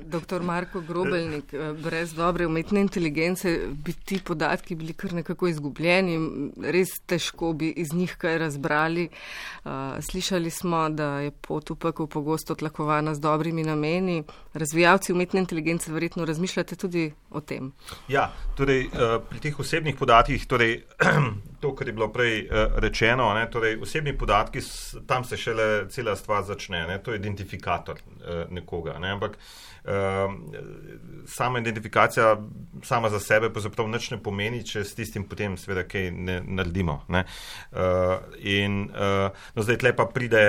Dr. Marko Grobelnik, brez dobre umetne inteligence bi ti podatki bili kar nekako izgubljeni, res težko bi iz njih kaj razbrali. Slišali smo, da je pot v pekel pogosto tlakovana z dobrimi nameni. Razvijalci umetne inteligence verjetno razmišljate tudi o tem. Ja, torej pri teh osebnih podatkih, torej to, kar je bilo prej rečeno, ne, torej osebni podatki, tam se šele cela stvar začne, ne, to je identifikator nekoga, ne, ampak sama identifikacija sama za sebe pravzaprav nič ne pomeni, če s tistim potem seveda kaj ne naredimo. Ne. No zdaj tle pa pride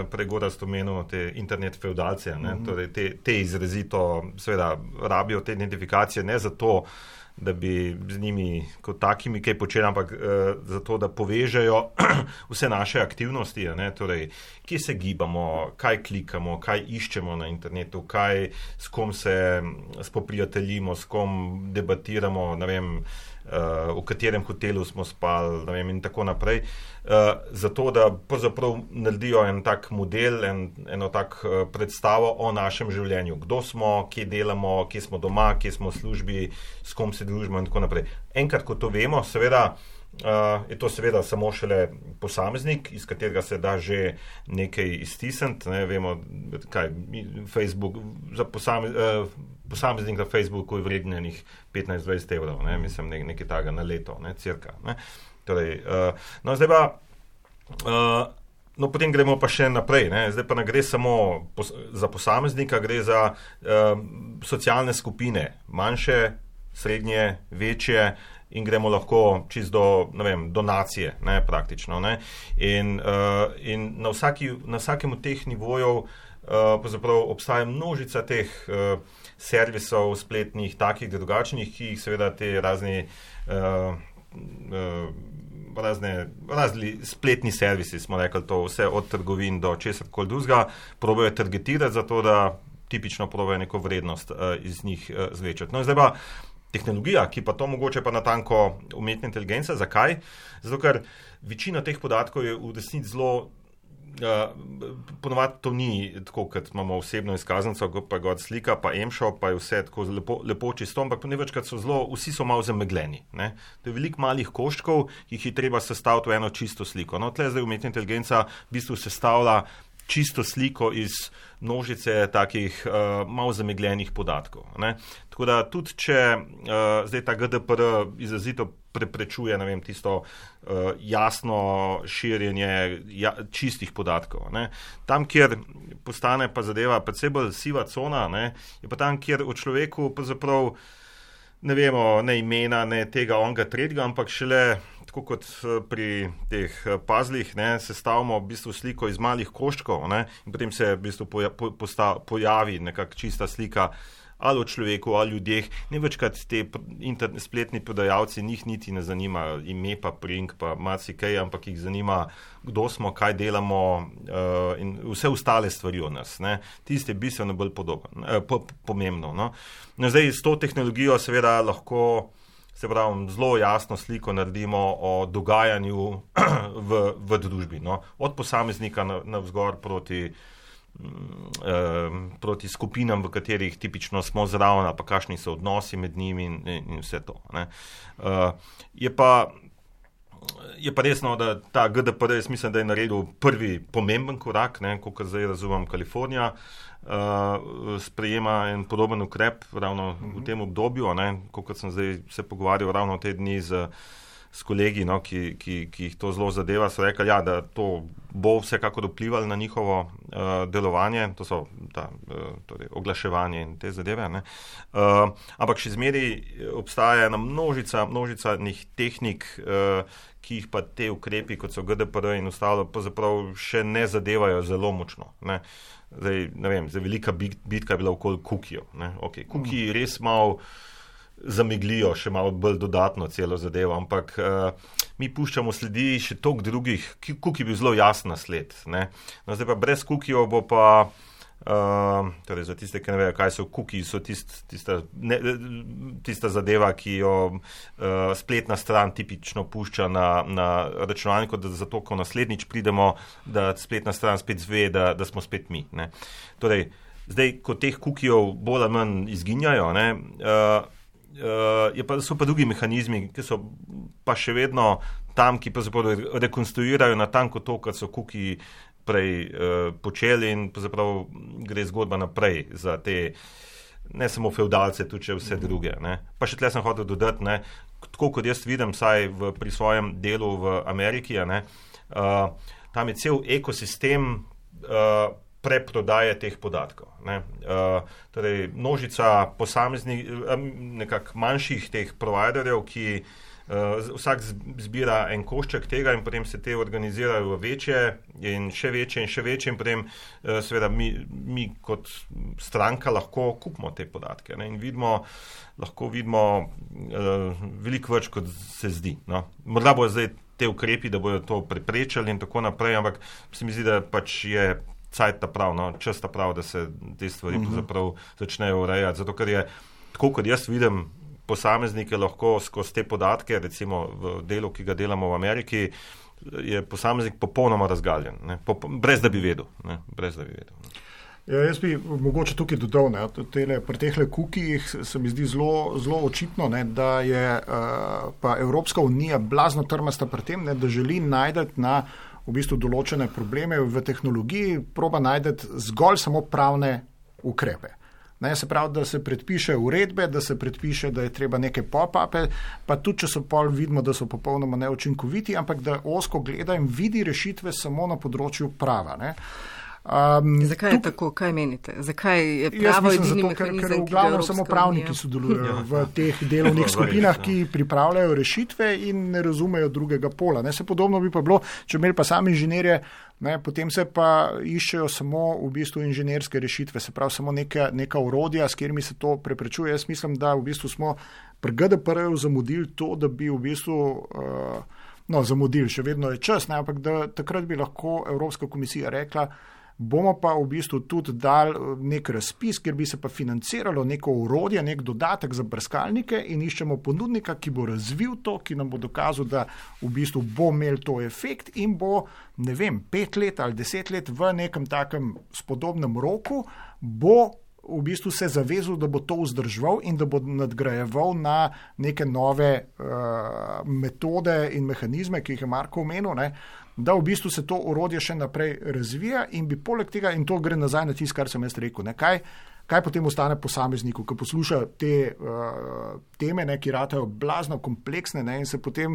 pregorast omenil te internet feudalce, ne, torej te izrazito seveda rabijo te identifikacije ne zato, da bi z njimi kot takimi kaj počeli, ampak zato, da povežejo vse naše aktivnosti, ne? Torej, kje se gibamo, kaj klikamo, kaj iščemo na internetu, s kom se spoprijateljimo, s kom debatiramo, ne vem, v katerem hotelu smo spali, ne vem, in tako naprej. Zato, da pravzaprav naredijo en tak model, eno tak predstavo o našem življenju. Kdo smo, kje delamo, kje smo doma, kje smo v službi, s kom se družimo in tako naprej. Enkrat, ko to vemo, seveda, je to seveda samo šele posameznik, iz katerega se da že nekaj iztisniti, ne, vemo, kaj, Facebook, za posameznik na Facebooku je vrednenih 15-20 evrov, ne, mislim, nekaj taga na leto, ne, cirka, ne. Torej, no, zdaj pa, no, potem gremo pa še naprej, ne, zdaj pa ne gre samo za posameznika, gre za socialne skupine, manjše, srednje, večje, in gremo lahko čisto do, ne vem, donacije, ne, praktično, ne, in na vsakem od teh nivojev pravzaprav obstaja množica teh servisov spletnih, takih drugačnih, ki jih seveda te razni spletni servisi, smo rekli to, vse od trgovin do česarkoli drugega, probajo targetirati zato, da tipično probajo neko vrednost iz njih zvečati. No, zdaj pa tehnologija, ki pa to mogoče pa natanko umetna inteligenca. Zakaj? Zato, ker večina teh podatkov je v resnici zelo, ponovadi to ni tako, kot imamo osebno izkaznico, pa god slika, pa emšo, pa je vse tako lepo čisto, ampak nevečkrat vsi so malo zamegljeni. Ne? To je veliko malih koščkov, ki jih je treba sestaviti v eno čisto sliko. No, tle zdaj umetna inteligenca v bistvu sestavlja čisto sliko iz množice takih malo zamegljenih podatkov. Ne? Tako da tudi, če zdaj ta GDPR izrazito preprečuje, ne vem, tisto jasno širjenje čistih podatkov. Ne? Tam, kjer postane pa zadeva predvsej bolj siva cona, ne, je pa tam, kjer o človeku pravzaprav ne vemo ne imena, ne tega onga tretjega, ampak šele tako kot pri teh puzzlih, ne, sestavimo v bistvu sliko iz malih koščkov, ne, in potem se v bistvu pojavi nekak čista slika ali o človeku, ali ljudeh. Nevečkrat te spletni prodajalci njih niti ne zanima ime pa priimk pa marsikaj, ampak jih zanima, kdo smo, kaj delamo in vse ostale stvari o nas. Ne. Tiste je bistveno bolj pomembno. No. No, zdaj s to tehnologijo seveda lahko zelo jasno sliko naredimo o dogajanju v družbi. No. Od posameznika navzgor proti skupinam, v katerih tipično smo zraven, pa kakšni so odnosi med njimi in vse to. Ne. Je pa resno, da ta GDPR, jaz mislim, da je naredil prvi pomemben korak, kot zdaj razumem, Kalifornija sprejema en podoben ukrep ravno v tem obdobju, kot sem zdaj se pogovarjal ravno te dni s kolegi, no, ki jih to zelo zadeva, so rekli, ja, da to bo vsekakor vplivalo na njihovo delovanje, to so torej oglaševanje in te zadeve. Ne. Ampak še zmeraj obstaja ena množica njih tehnik, ki jih pa te ukrepi, kot so GDPR in ostalo, pravzaprav še ne zadevajo zelo močno. Ne. Zdaj, ne vem, velika bitka je bila okoli kukijev. Okay, kukiji res malo zameglijo, še malo bolj dodatno celo zadevo, ampak mi puščamo sledi še toliko drugih, kuki je bil zelo jasen sled. Ne? No, zdaj pa brez kukijev bo pa, torej za tiste, ki ne vejo, kaj so kuki, so tista zadeva, ki jo spletna stran tipično pušča na računalniku, da zato, ko naslednjič pridemo, da spletna stran spet zve, da smo spet mi. Ne? Torej, zdaj, ko teh kukijev bolj ali manj izginjajo, ne, so pa drugi mehanizmi, ki so pa še vedno tam, ki pa rekonstruirajo natanko to, kar so kuki prej počeli in pravzaprav gre zgodba naprej za te ne samo feudalce, tudi vse druge. Ne. Pa še tle sem hotel dodati, ne, tako kot jaz vidim, saj pri svojem delu v Ameriki, ne, tam je cel ekosistem preprodaje teh podatkov. Ne. Torej, množica posameznih, nekak manjših teh providerjev, ki vsak zbira en košček tega in potem se te organizirajo v večje in še večje in potem seveda mi kot stranka lahko kupimo te podatke, ne, in lahko vidimo veliko več, kot se zdi. No. Morda bo zdaj te ukrepi, da bodo to preprečali in tako naprej, ampak se mi zdi, da pač je cajt ta prav, no, čas ta prav, da se te stvari začnejo urejati, zato ker je, tako kot jaz vidim, posameznike lahko skozi te podatke, recimo v delu, ki ga delamo v Ameriki, je posameznik popolnoma razgaljen, ne, brez da bi vedel. Ne. Ja, jaz bi mogoče tukaj dodal, ne, pri tehle kukijih se mi zdi zelo očitno, ne, da je pa Evropska unija blazno trmasta pri tem, ne, da želi najdeti na v bistvu določene probleme v tehnologiji, proba najdeti zgolj samo pravne ukrepe. Ne, se pravi, da se predpiše uredbe, da se predpiše, da je treba neke pop-upe, pa tudi, če so pol vidimo, da so popolnoma neučinkoviti, ampak da ozko gleda in vidi rešitve samo na področju prava. Ne. Zakaj je tako? Kaj menite? Zakaj je pravo edini mehanizem, ker v glavnem samo pravniki sodelujejo v teh delovnih skupinah, ki pripravljajo rešitve in ne razumejo drugega pola. Ne, se podobno bi pa bilo, če imeli pa sami inženirje, ne, potem se pa iščejo samo v bistvu inženirske rešitve, se pravi samo neka orodja, s katerimi se to preprečuje. Jaz mislim, da v bistvu smo pri GDPR-ju zamudili to, da bi v bistvu zamudili, še vedno je čas, ne, ampak da takrat bi lahko Evropska komisija rekla, bomo pa v bistvu tudi dali nek razpis, kjer bi se pa financiralo neko orodje, nek dodatek za brskalnike in iščemo ponudnika, ki bo razvil to, ki nam bo dokazal, da v bistvu bo imel to efekt in bo, 5 let ali 10 let v nekem takem spodobnem roku bo v bistvu se zavezal, da bo to vzdrževal in da bo nadgrajeval na neke nove metode in mehanizme, ki jih je Marko omenil, ne, da v bistvu se to orodje še naprej razvija in bi poleg tega, in to gre nazaj na tisto, kar sem jaz rekel, ne, kaj potem ostane posamezniku, ki posluša te teme, ne, ki ratajo blazno kompleksne, ne, in se potem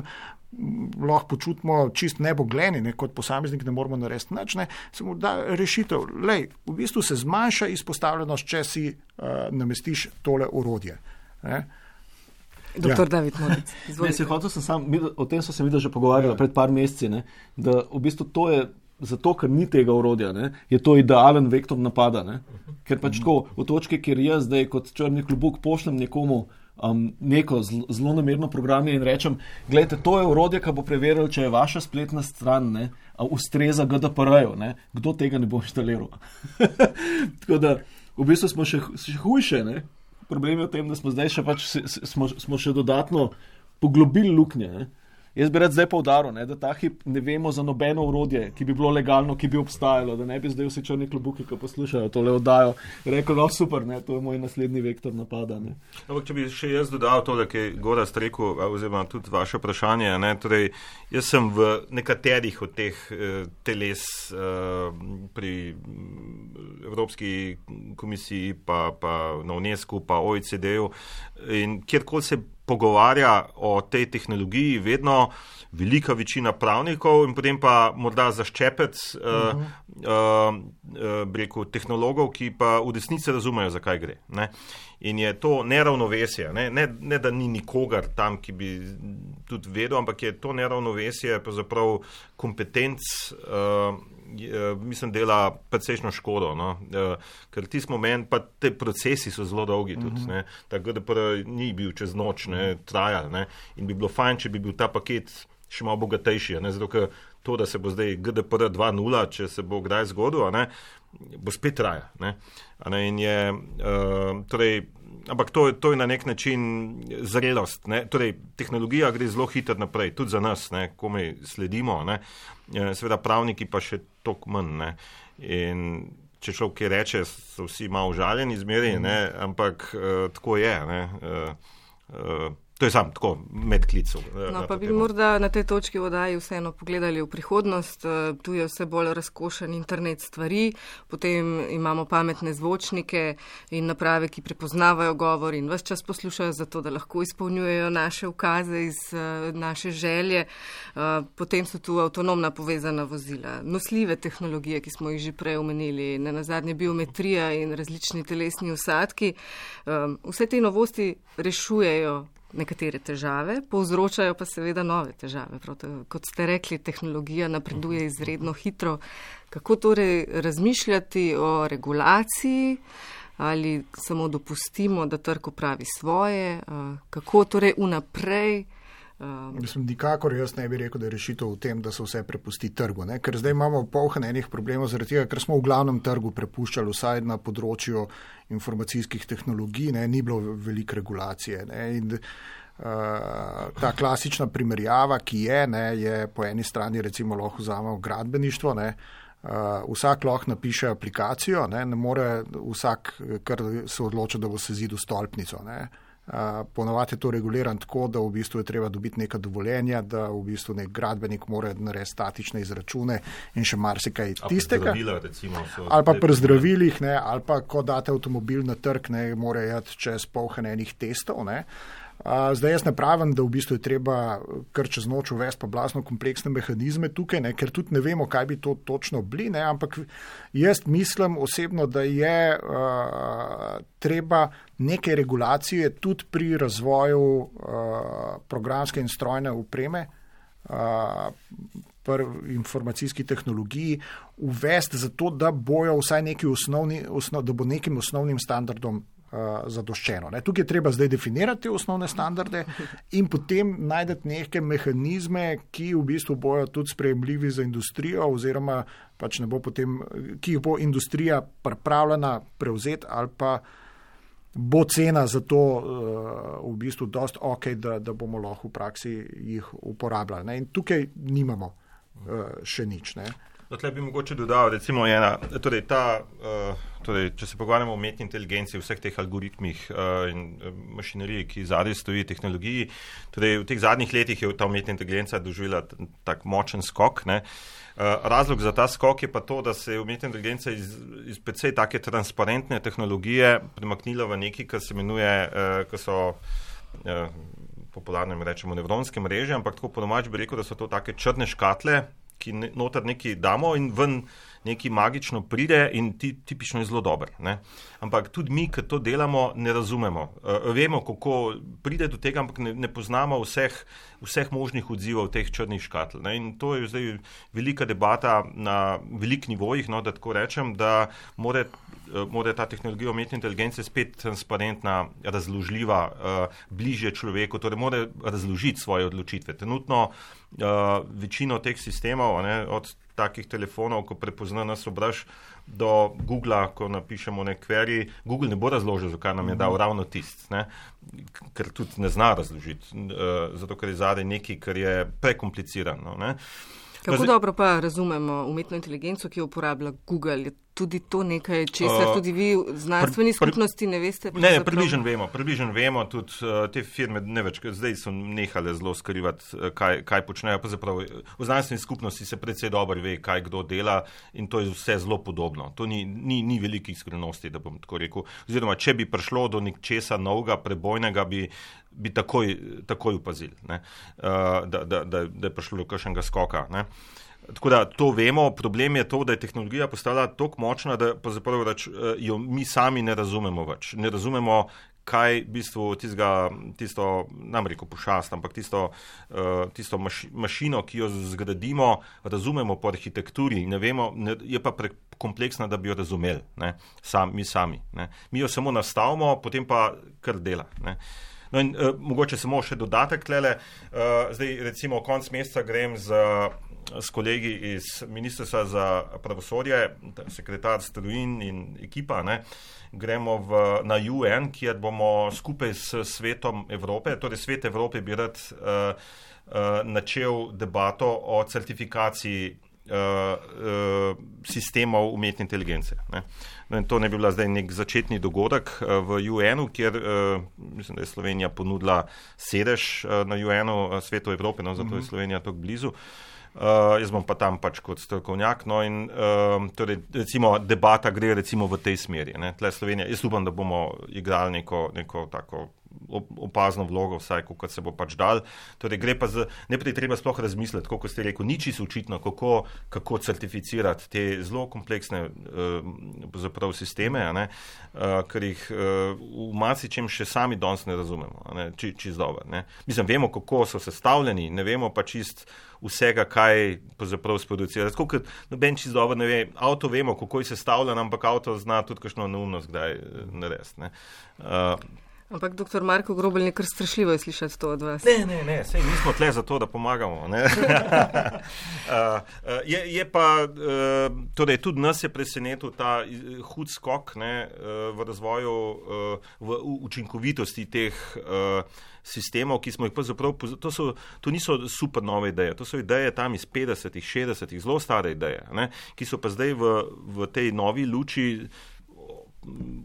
lahko počutimo čist nebogleni, ne, kot posameznik ne moramo narediti nič, ne, se mu da rešitev. Lej, v bistvu se zmanjša izpostavljenost, če si namestiš tole orodje. Ne. Doktor David Modic, izvolite. O tem so se videli že pogovarjali pred par meseci, ne, da v bistvu to je zato, ker ni tega orodja, ne, je to idealen vektor napada. Ne, ker pač tako, v točki, kjer jaz zdaj kot črni klobuk pošljem nekomu neko zelo namerno programje in rečem, gledajte, to je orodje, ki bo preveril, če je vaša spletna stran, ne, ustreza GDPR-ju, ne, kdo tega ne bo inštaliral. Tako da, v bistvu smo še hujše, ne. Problem je v tem, da smo zdaj še pač smo še dodatno poglobili luknje. Ne. Jaz bi rad zdaj poudaril, ne, da ta hip ne vemo za nobeno orodje, ki bi bilo legalno, ki bi obstajalo, da ne bi zdaj vsi črni klobuki, ki poslušajo tole oddajo, rekel, no super, ne, to je moj naslednji vektor napada. Ne. Ampak, če bi še jaz dodal tole, ki je Gorazd rekel, oziroma tudi vaše vprašanje, ne, torej, jaz sem v nekaterih od teh teles pri Evropski komisiji, pa na UNESCO, pa OECD-ju in kjerkoli se pogovarja o tej tehnologiji, vedno velika večina pravnikov in potem pa morda zaščepec tehnologov, ki pa v desnici razumejo, zakaj gre. Ne? In je to neravnovesje, ne da ni nikogar tam, ki bi tudi vedel, ampak je to neravnovesje pravzaprav kompetenc, mislim, dela precejšno škodo, no? Ker tisti moment, pa te procesi so zelo dolgi tudi, ne? Ta GDPR ni bil čez noč, ne, trajal, ne? In bi bilo fajn, če bi bil ta paket še malo bogatejši, ne? Zato, ker to, da se bo zdaj GDPR 2.0, če se bo kdaj zgodil, ne, bo spet traja, ne? In je, torej, ampak to je na nek način zrelost, ne? Torej, tehnologija gre zelo hitro naprej, tudi za nas, ne, komaj sledimo, ne? Seveda pravniki pa še toliko manj, ne? In če človek kaj reče, so vsi malo užaljeni zmeri, ne? Ampak tako je, ne? To je sam tako medklicev. No, pa bi morda na tej točki v oddaji vseeno pogledali v prihodnost. Tu je vse bolj razkošen internet stvari, potem imamo pametne zvočnike in naprave, ki prepoznavajo govor in ves čas poslušajo zato, da lahko izpolnjujejo naše ukaze iz naše želje. Potem so tu avtonomna povezana vozila, nosljive tehnologije, ki smo jih že prej omenili, nenazadnje biometrija in različni telesni vsadki. Vse te novosti rešujejo nekatere težave, povzročajo pa seveda nove težave. Kot ste rekli, tehnologija napreduje izredno hitro. Kako torej razmišljati o regulaciji ali samo dopustimo, da trg opravi svoje? Kako torej vnaprej? Nikakor jaz ne bi rekel, da je rešitev v tem, da se vse prepusti trgu, ne? Ker zdaj imamo poln enih problemov zaradi tega, ker smo v glavnem trgu prepuščali vsaj na področju informacijskih tehnologij, ne? Ni bilo veliko regulacije. Ne? In ta klasična primerjava, ki je po eni strani recimo lahko vzamemo gradbeništvo, ne? Vsak lahko napiše aplikacijo, ne more vsak, kar se odloča, da bo sezidil stolpnico, ne? Ponovadi je to reguliran tako, da v bistvu je treba dobiti neka dovoljenja, da v bistvu nek gradbenik mora narediti statične izračune in še marsikaj tistega. Ali pa pri zdravilih, ne, ali pa ko date avtomobil na trg, ne, mora jeti čez poln enih testov, ne. Zdaj jaz ne pravim, da v bistvu je treba kar čez noč uvesti pa blazno kompleksne mehanizme tukaj, ne, ker tudi ne vemo, kaj bi to točno bili, ne, ampak jaz mislim osebno, da je treba neke regulacije tudi pri razvoju programske in strojne opreme, informacijski tehnologiji uvesti zato, da bojo vsaj da bo nekim osnovnim standardom zadoščeno. Ne. Tukaj je treba zdaj definirati osnovne standarde in potem najdeti neke mehanizme, ki v bistvu bojo tudi sprejemljivi za industrijo oziroma pač ne bo potem, ki jih bo industrija pripravljena prevzeti ali pa bo cena za to v bistvu dosti ok, da bomo lahko v praksi jih uporabljali. Ne. In tukaj nimamo še nič. Ne. Tle bi mogoče dodal, recimo če se pogovarjamo o umetni inteligenci, vseh teh algoritmih in mašineriji, ki zadaj stoji, tehnologiji, v teh zadnjih letih je ta umetna inteligenca doživela tak močen skok, ne. Razlog za ta skok je pa to, da se je umetna inteligenca iz precej take transparentne tehnologije premaknila v nekaj, kar se imenuje, ko so popularno rečemo nevronske mreže, ampak tako po domač bi rekel, da so to take črne škatle, ki noter nekaj damo in ven nekaj magično pride in tipično je zelo dober. Ne? Ampak tudi mi, ki to delamo, ne razumemo. Vemo, kako pride do tega, ampak ne poznamo vseh možnih odzivov teh črnih škatl. Ne? In to je zdaj velika debata na velikih nivojih, no, da tako rečem, da mora ta tehnologija umetne inteligence spet transparentna, razložljiva, bližje človeku, torej mora razložiti svoje odločitve. Trenutno večino teh sistemov, ne, od takih telefonov, ko prepozna nas obraz, do Googla, ko napišemo nek query, Google ne bo razložil, zakaj nam je dal ravno tist, ne, ker tudi ne zna razložiti, zato ker je zadaj nekaj, kar je prekomplicirano. Ne. Kako dobro pa razumemo umetno inteligenco, ki jo uporablja Google? Je tudi to nekaj, česar tudi vi v znanstveni skupnosti ne veste? Ne, približno vemo, tudi te firme ne več, zdaj so nehale zelo skrivati, kaj počnejo, pa zapravo v znanstveni skupnosti se predvsej dobro ve, kaj kdo dela in to je vse zelo podobno. To ni velikih skrivnosti, da bom tako rekel. Oziroma, če bi prišlo do nečesa novega, prebojnega, bi takoj upazili, ne? Da je prišlo do kakšnega skoka. Ne? Tako da to vemo, problem je to, da je tehnologija postala toliko močna, da jo mi sami ne razumemo več. Ne razumemo, kaj v bistvu tisto, nam rekel pošast, ampak tisto mašino, ki jo zgradimo, razumemo po arhitekturi, ne vemo, je pa prekompleksna, da bi jo razumeli, ne? Mi sami. Ne? Mi jo samo nastavimo, potem pa kar dela. Ne? No in mogoče samo še dodatek tlele. Zdaj recimo konec meseca grem s kolegi iz Ministrstva za pravosodje, sekretar Strujin in ekipa, ne, gremo na UN, kjer bomo skupaj s Svetom Evrope, torej Svet Evrope bi rad načel debato o certifikaciji sistemov umetne inteligence. Ne. No, in to ne bi bila zdaj nek začetni dogodek v UN-u, kjer mislim, da je Slovenija ponudila sedež na UN-u Svetu Evrope, no, zato je Slovenija tako blizu. Jaz bom pa tam pač kot strokovnjak, no in torej, recimo, debata gre recimo v tej smeri. Ne. Tle Slovenija, jaz upam, da bomo igrali neko tako opazno vlogo, vsaj kot se bo pač dal. Torej, gre pa najprej treba sploh razmisliti, kot ste rekel, ni čisto očitno, kako certificirati te zelo kompleksne sisteme, ne, ker jih v marsičem še sami danes ne razumemo, ne, čisto dobro. Ne. Mislim, vemo, kako so sestavljeni, ne vemo pa čist vsega, kaj sproducira. Tako, ker noben čisto dobro ne ve, avto vemo, kako je sestavljen, ampak avto zna tudi kakšno neumnost kdaj narediti. Ampak, doktor Marko Grobelj, kar strašljivo je slišati to od vas. Ne, sej nismo tle za to, da pomagamo. Ne? Je pa, torej tudi nas je presenetil ta hud skok, ne, v razvoju, v učinkovitosti teh sistemov, ki smo jih pravzaprav, to niso super nove ideje, to so ideje tam iz 50-ih, 60-ih, zelo stare ideje, ne, ki so pa zdaj v tej novi luči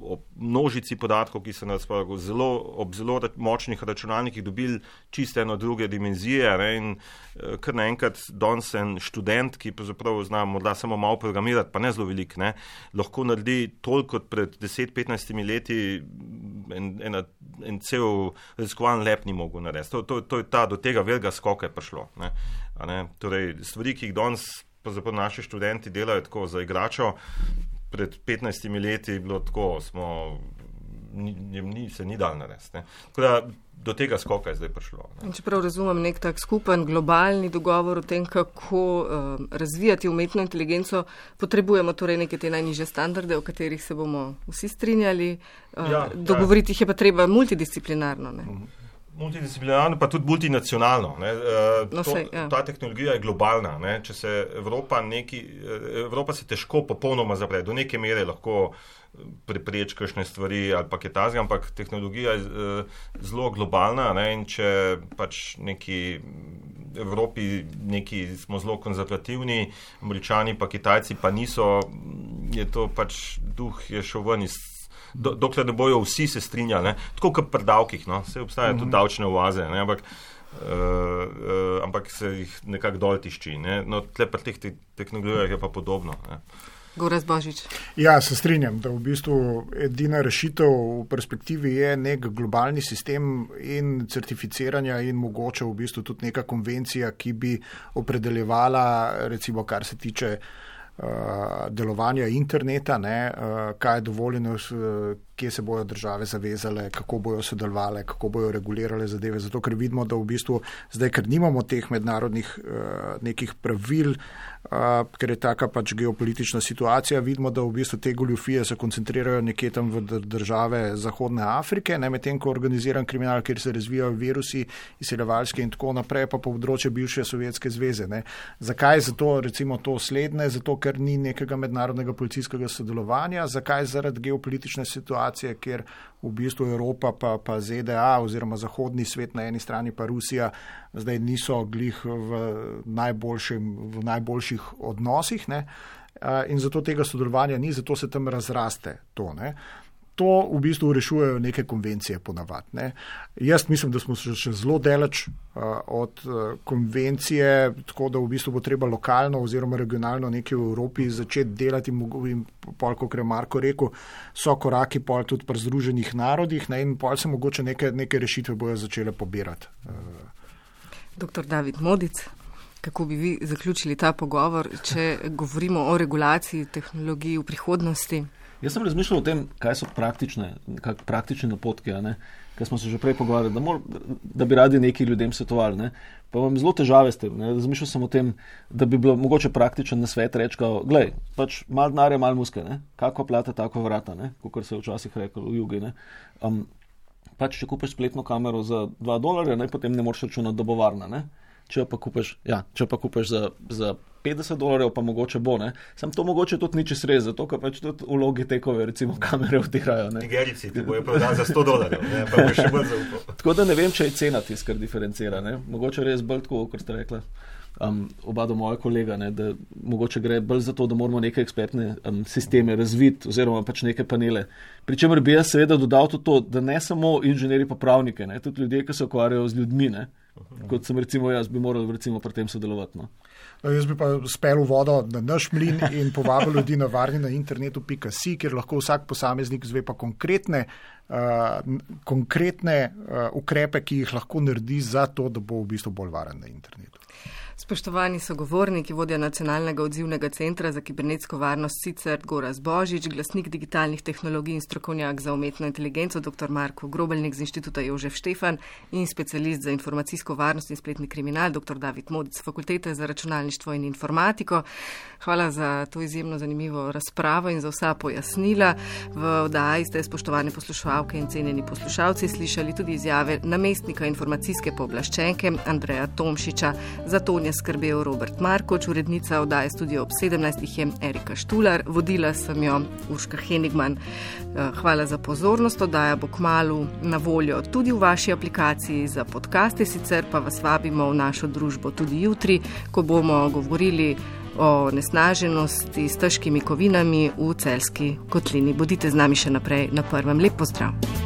o množici podatkov, ki so nas ob zelo močnih računalnikih dobili čisto eno druge dimenzije, ne, in kar naenkrat danes en študent, ki pravzaprav zna morda samo malo programirati, pa ne zelo veliko, ne, lahko naredi toliko kot pred 10-15 leti en cel raziskovalni lab ni mogel narediti. To je do tega velikega skoka je prišlo. Ne. Torej, stvari, ki jih danes pravzaprav naši študenti delajo tako za igračo, pred 15 leti je bilo tako, se ni dal narediti. Tako da do tega skoka je zdaj prišlo. Če prav razumem, nek tak skupen globalni dogovor o tem, kako razvijati umetno inteligenco, potrebujemo torej neke te najnižje standarde, o katerih se bomo vsi strinjali. Dogovoriti jih je pa treba multidisciplinarno. Ne? Multidisciplinarno, pa tudi multinacionalno. Ta tehnologija je globalna. Ne? Če se Evropa se težko popolnoma zapre. Do neke mere lahko prepreči kakšne stvari ali pa kaj takega, ampak tehnologija je zelo globalna, ne? In če pač neki Evropi smo zelo konzervativni, Američani pa Kitajci pa niso, je to pač duh je šel ven iz dokler ne bojo vsi se strinjali, ne? Tako kot pri davkih, no? Vse obstajajo tudi davčne oaze, ne? Ampak se jih nekako dol tišči. Ne? No, tle pri teh tehnologijah je pa podobno. Ne? Gorazd Božič. Ja, se strinjam, da v bistvu edina rešitev v perspektivi je nek globalni sistem in certificiranja in mogoče v bistvu tudi neka konvencija, ki bi opredeljevala, recimo, kar se tiče delovanja interneta, ne, kaj je dovoljeno, kje se bojo države zavezale, kako bojo sodelovale, kako bojo regulirale zadeve. Zato, ker vidimo, da v bistvu zdaj, ker nimamo teh mednarodnih nekih pravil, ker je taka pač geopolitična situacija, vidimo, da v bistvu te goljufije se koncentrirajo nekje tam v države Zahodne Afrike, ne, medtem ko organiziran kriminal, kjer se razvijajo virusi, izseljevalske in tako naprej, pa področje bivše Sovjetske zveze. Ne. Zakaj zato recimo to slednje? Zato, ker ni nekega mednarodnega policijskega sodelovanja. Zakaj? Zaradi geopolitične situacije, kjer v bistvu Evropa pa ZDA oziroma zahodni svet na eni strani pa Rusija zdaj niso glih v najboljših odnosih, ne? In zato tega sodelovanja ni, zato se tam razraste to. Ne? To v bistvu rešujejo neke konvencije ponavadi. Ne? Jaz mislim, da smo še zelo daleč od konvencije, tako da v bistvu bo treba lokalno oziroma regionalno nekaj v Evropi začeti delati in pol, kot je Marko rekel, so koraki pol tudi pri Združenih narodih, ne? In pol se mogoče neke rešitve bojo začele pobirati. Dr. David Modic, kako bi vi zaključili ta pogovor, če govorimo o regulaciji tehnologij v prihodnosti? Jaz sem razmišljal o tem, kaj so praktični napotki, ker smo se že prej pogovarjali, da bi radi neki ljudem svetovali. Ne? Pa imam zelo težave s tem. Ne? Razmišljal sem o tem, da bi bilo mogoče praktičen nasvet reči, glej, pač malo denarja, malo muske, ne? Kako plata, tako vrata, kot se je včasih rekel v jugi. Ne? Pač, če kupiš spletno kamero za $2, potem ne moreš računati, da bo varna. Ne? Če pa kupiš za $50, pa mogoče bo, ne. Sam to mogoče tudi ni čez res, zato, ker pač tudi vlogi tekove, recimo kamere vtirajo, ne. Nigerici ti bojo prodali za $100, ne, pa bo še bolj zaupal. Tako da ne vem, če je cena tis, kar diferencira, ne. Mogoče res bolj tako, kot ste rekla. Oba do moja kolega, ne, da mogoče gre bolj za to, da moramo neke ekspertne sisteme razviti oziroma pač neke panele. Pričemer bi jaz seveda dodal tudi to, da ne samo inženirji pa pravnike, ne, tudi ljudje, ki se ukvarjajo z ljudmi, ne, kot sem recimo jaz, bi moral recimo pri tem sodelovati. No. Jaz bi pa spel vodo na naš mlin in povabil ljudi na varninainternetu.si, kjer lahko vsak posameznik zve pa konkretne ukrepe, ki jih lahko naredi za to, da bo v bistvu bolj varen na internetu. Spoštovani sogovorniki, vodja Nacionalnega odzivnega centra za kibernetsko varnost Sicer Gorazd Božič, glasnik digitalnih tehnologij in strokovnjak za umetno inteligenco dr. Marko Grobelnik z Inštituta Jožef Štefan in specialist za informacijsko varnost in spletni kriminal dr. David Modic, Fakultete za računalništvo in informatiko. Hvala za to izjemno zanimivo razpravo in za vsa pojasnila. V oddaji ste, spoštovane poslušalke in cenjeni poslušalci, slišali tudi izjave namestnika informacijske pooblaščenke Andreja Tomšiča. Za to skrbel Robert Markoč, urednica oddaje Studio ob 17 je Erika Štular, vodila sem jo Urška Henigman. Hvala za pozornost, oddaja bo kmalu na voljo tudi v vaši aplikaciji za podcaste, sicer pa vas vabimo v našo družbo tudi jutri, ko bomo govorili o nesnaženosti s težkimi kovinami v Celjski kotlini. Bodite z nami še naprej na Prvem. Lep pozdrav!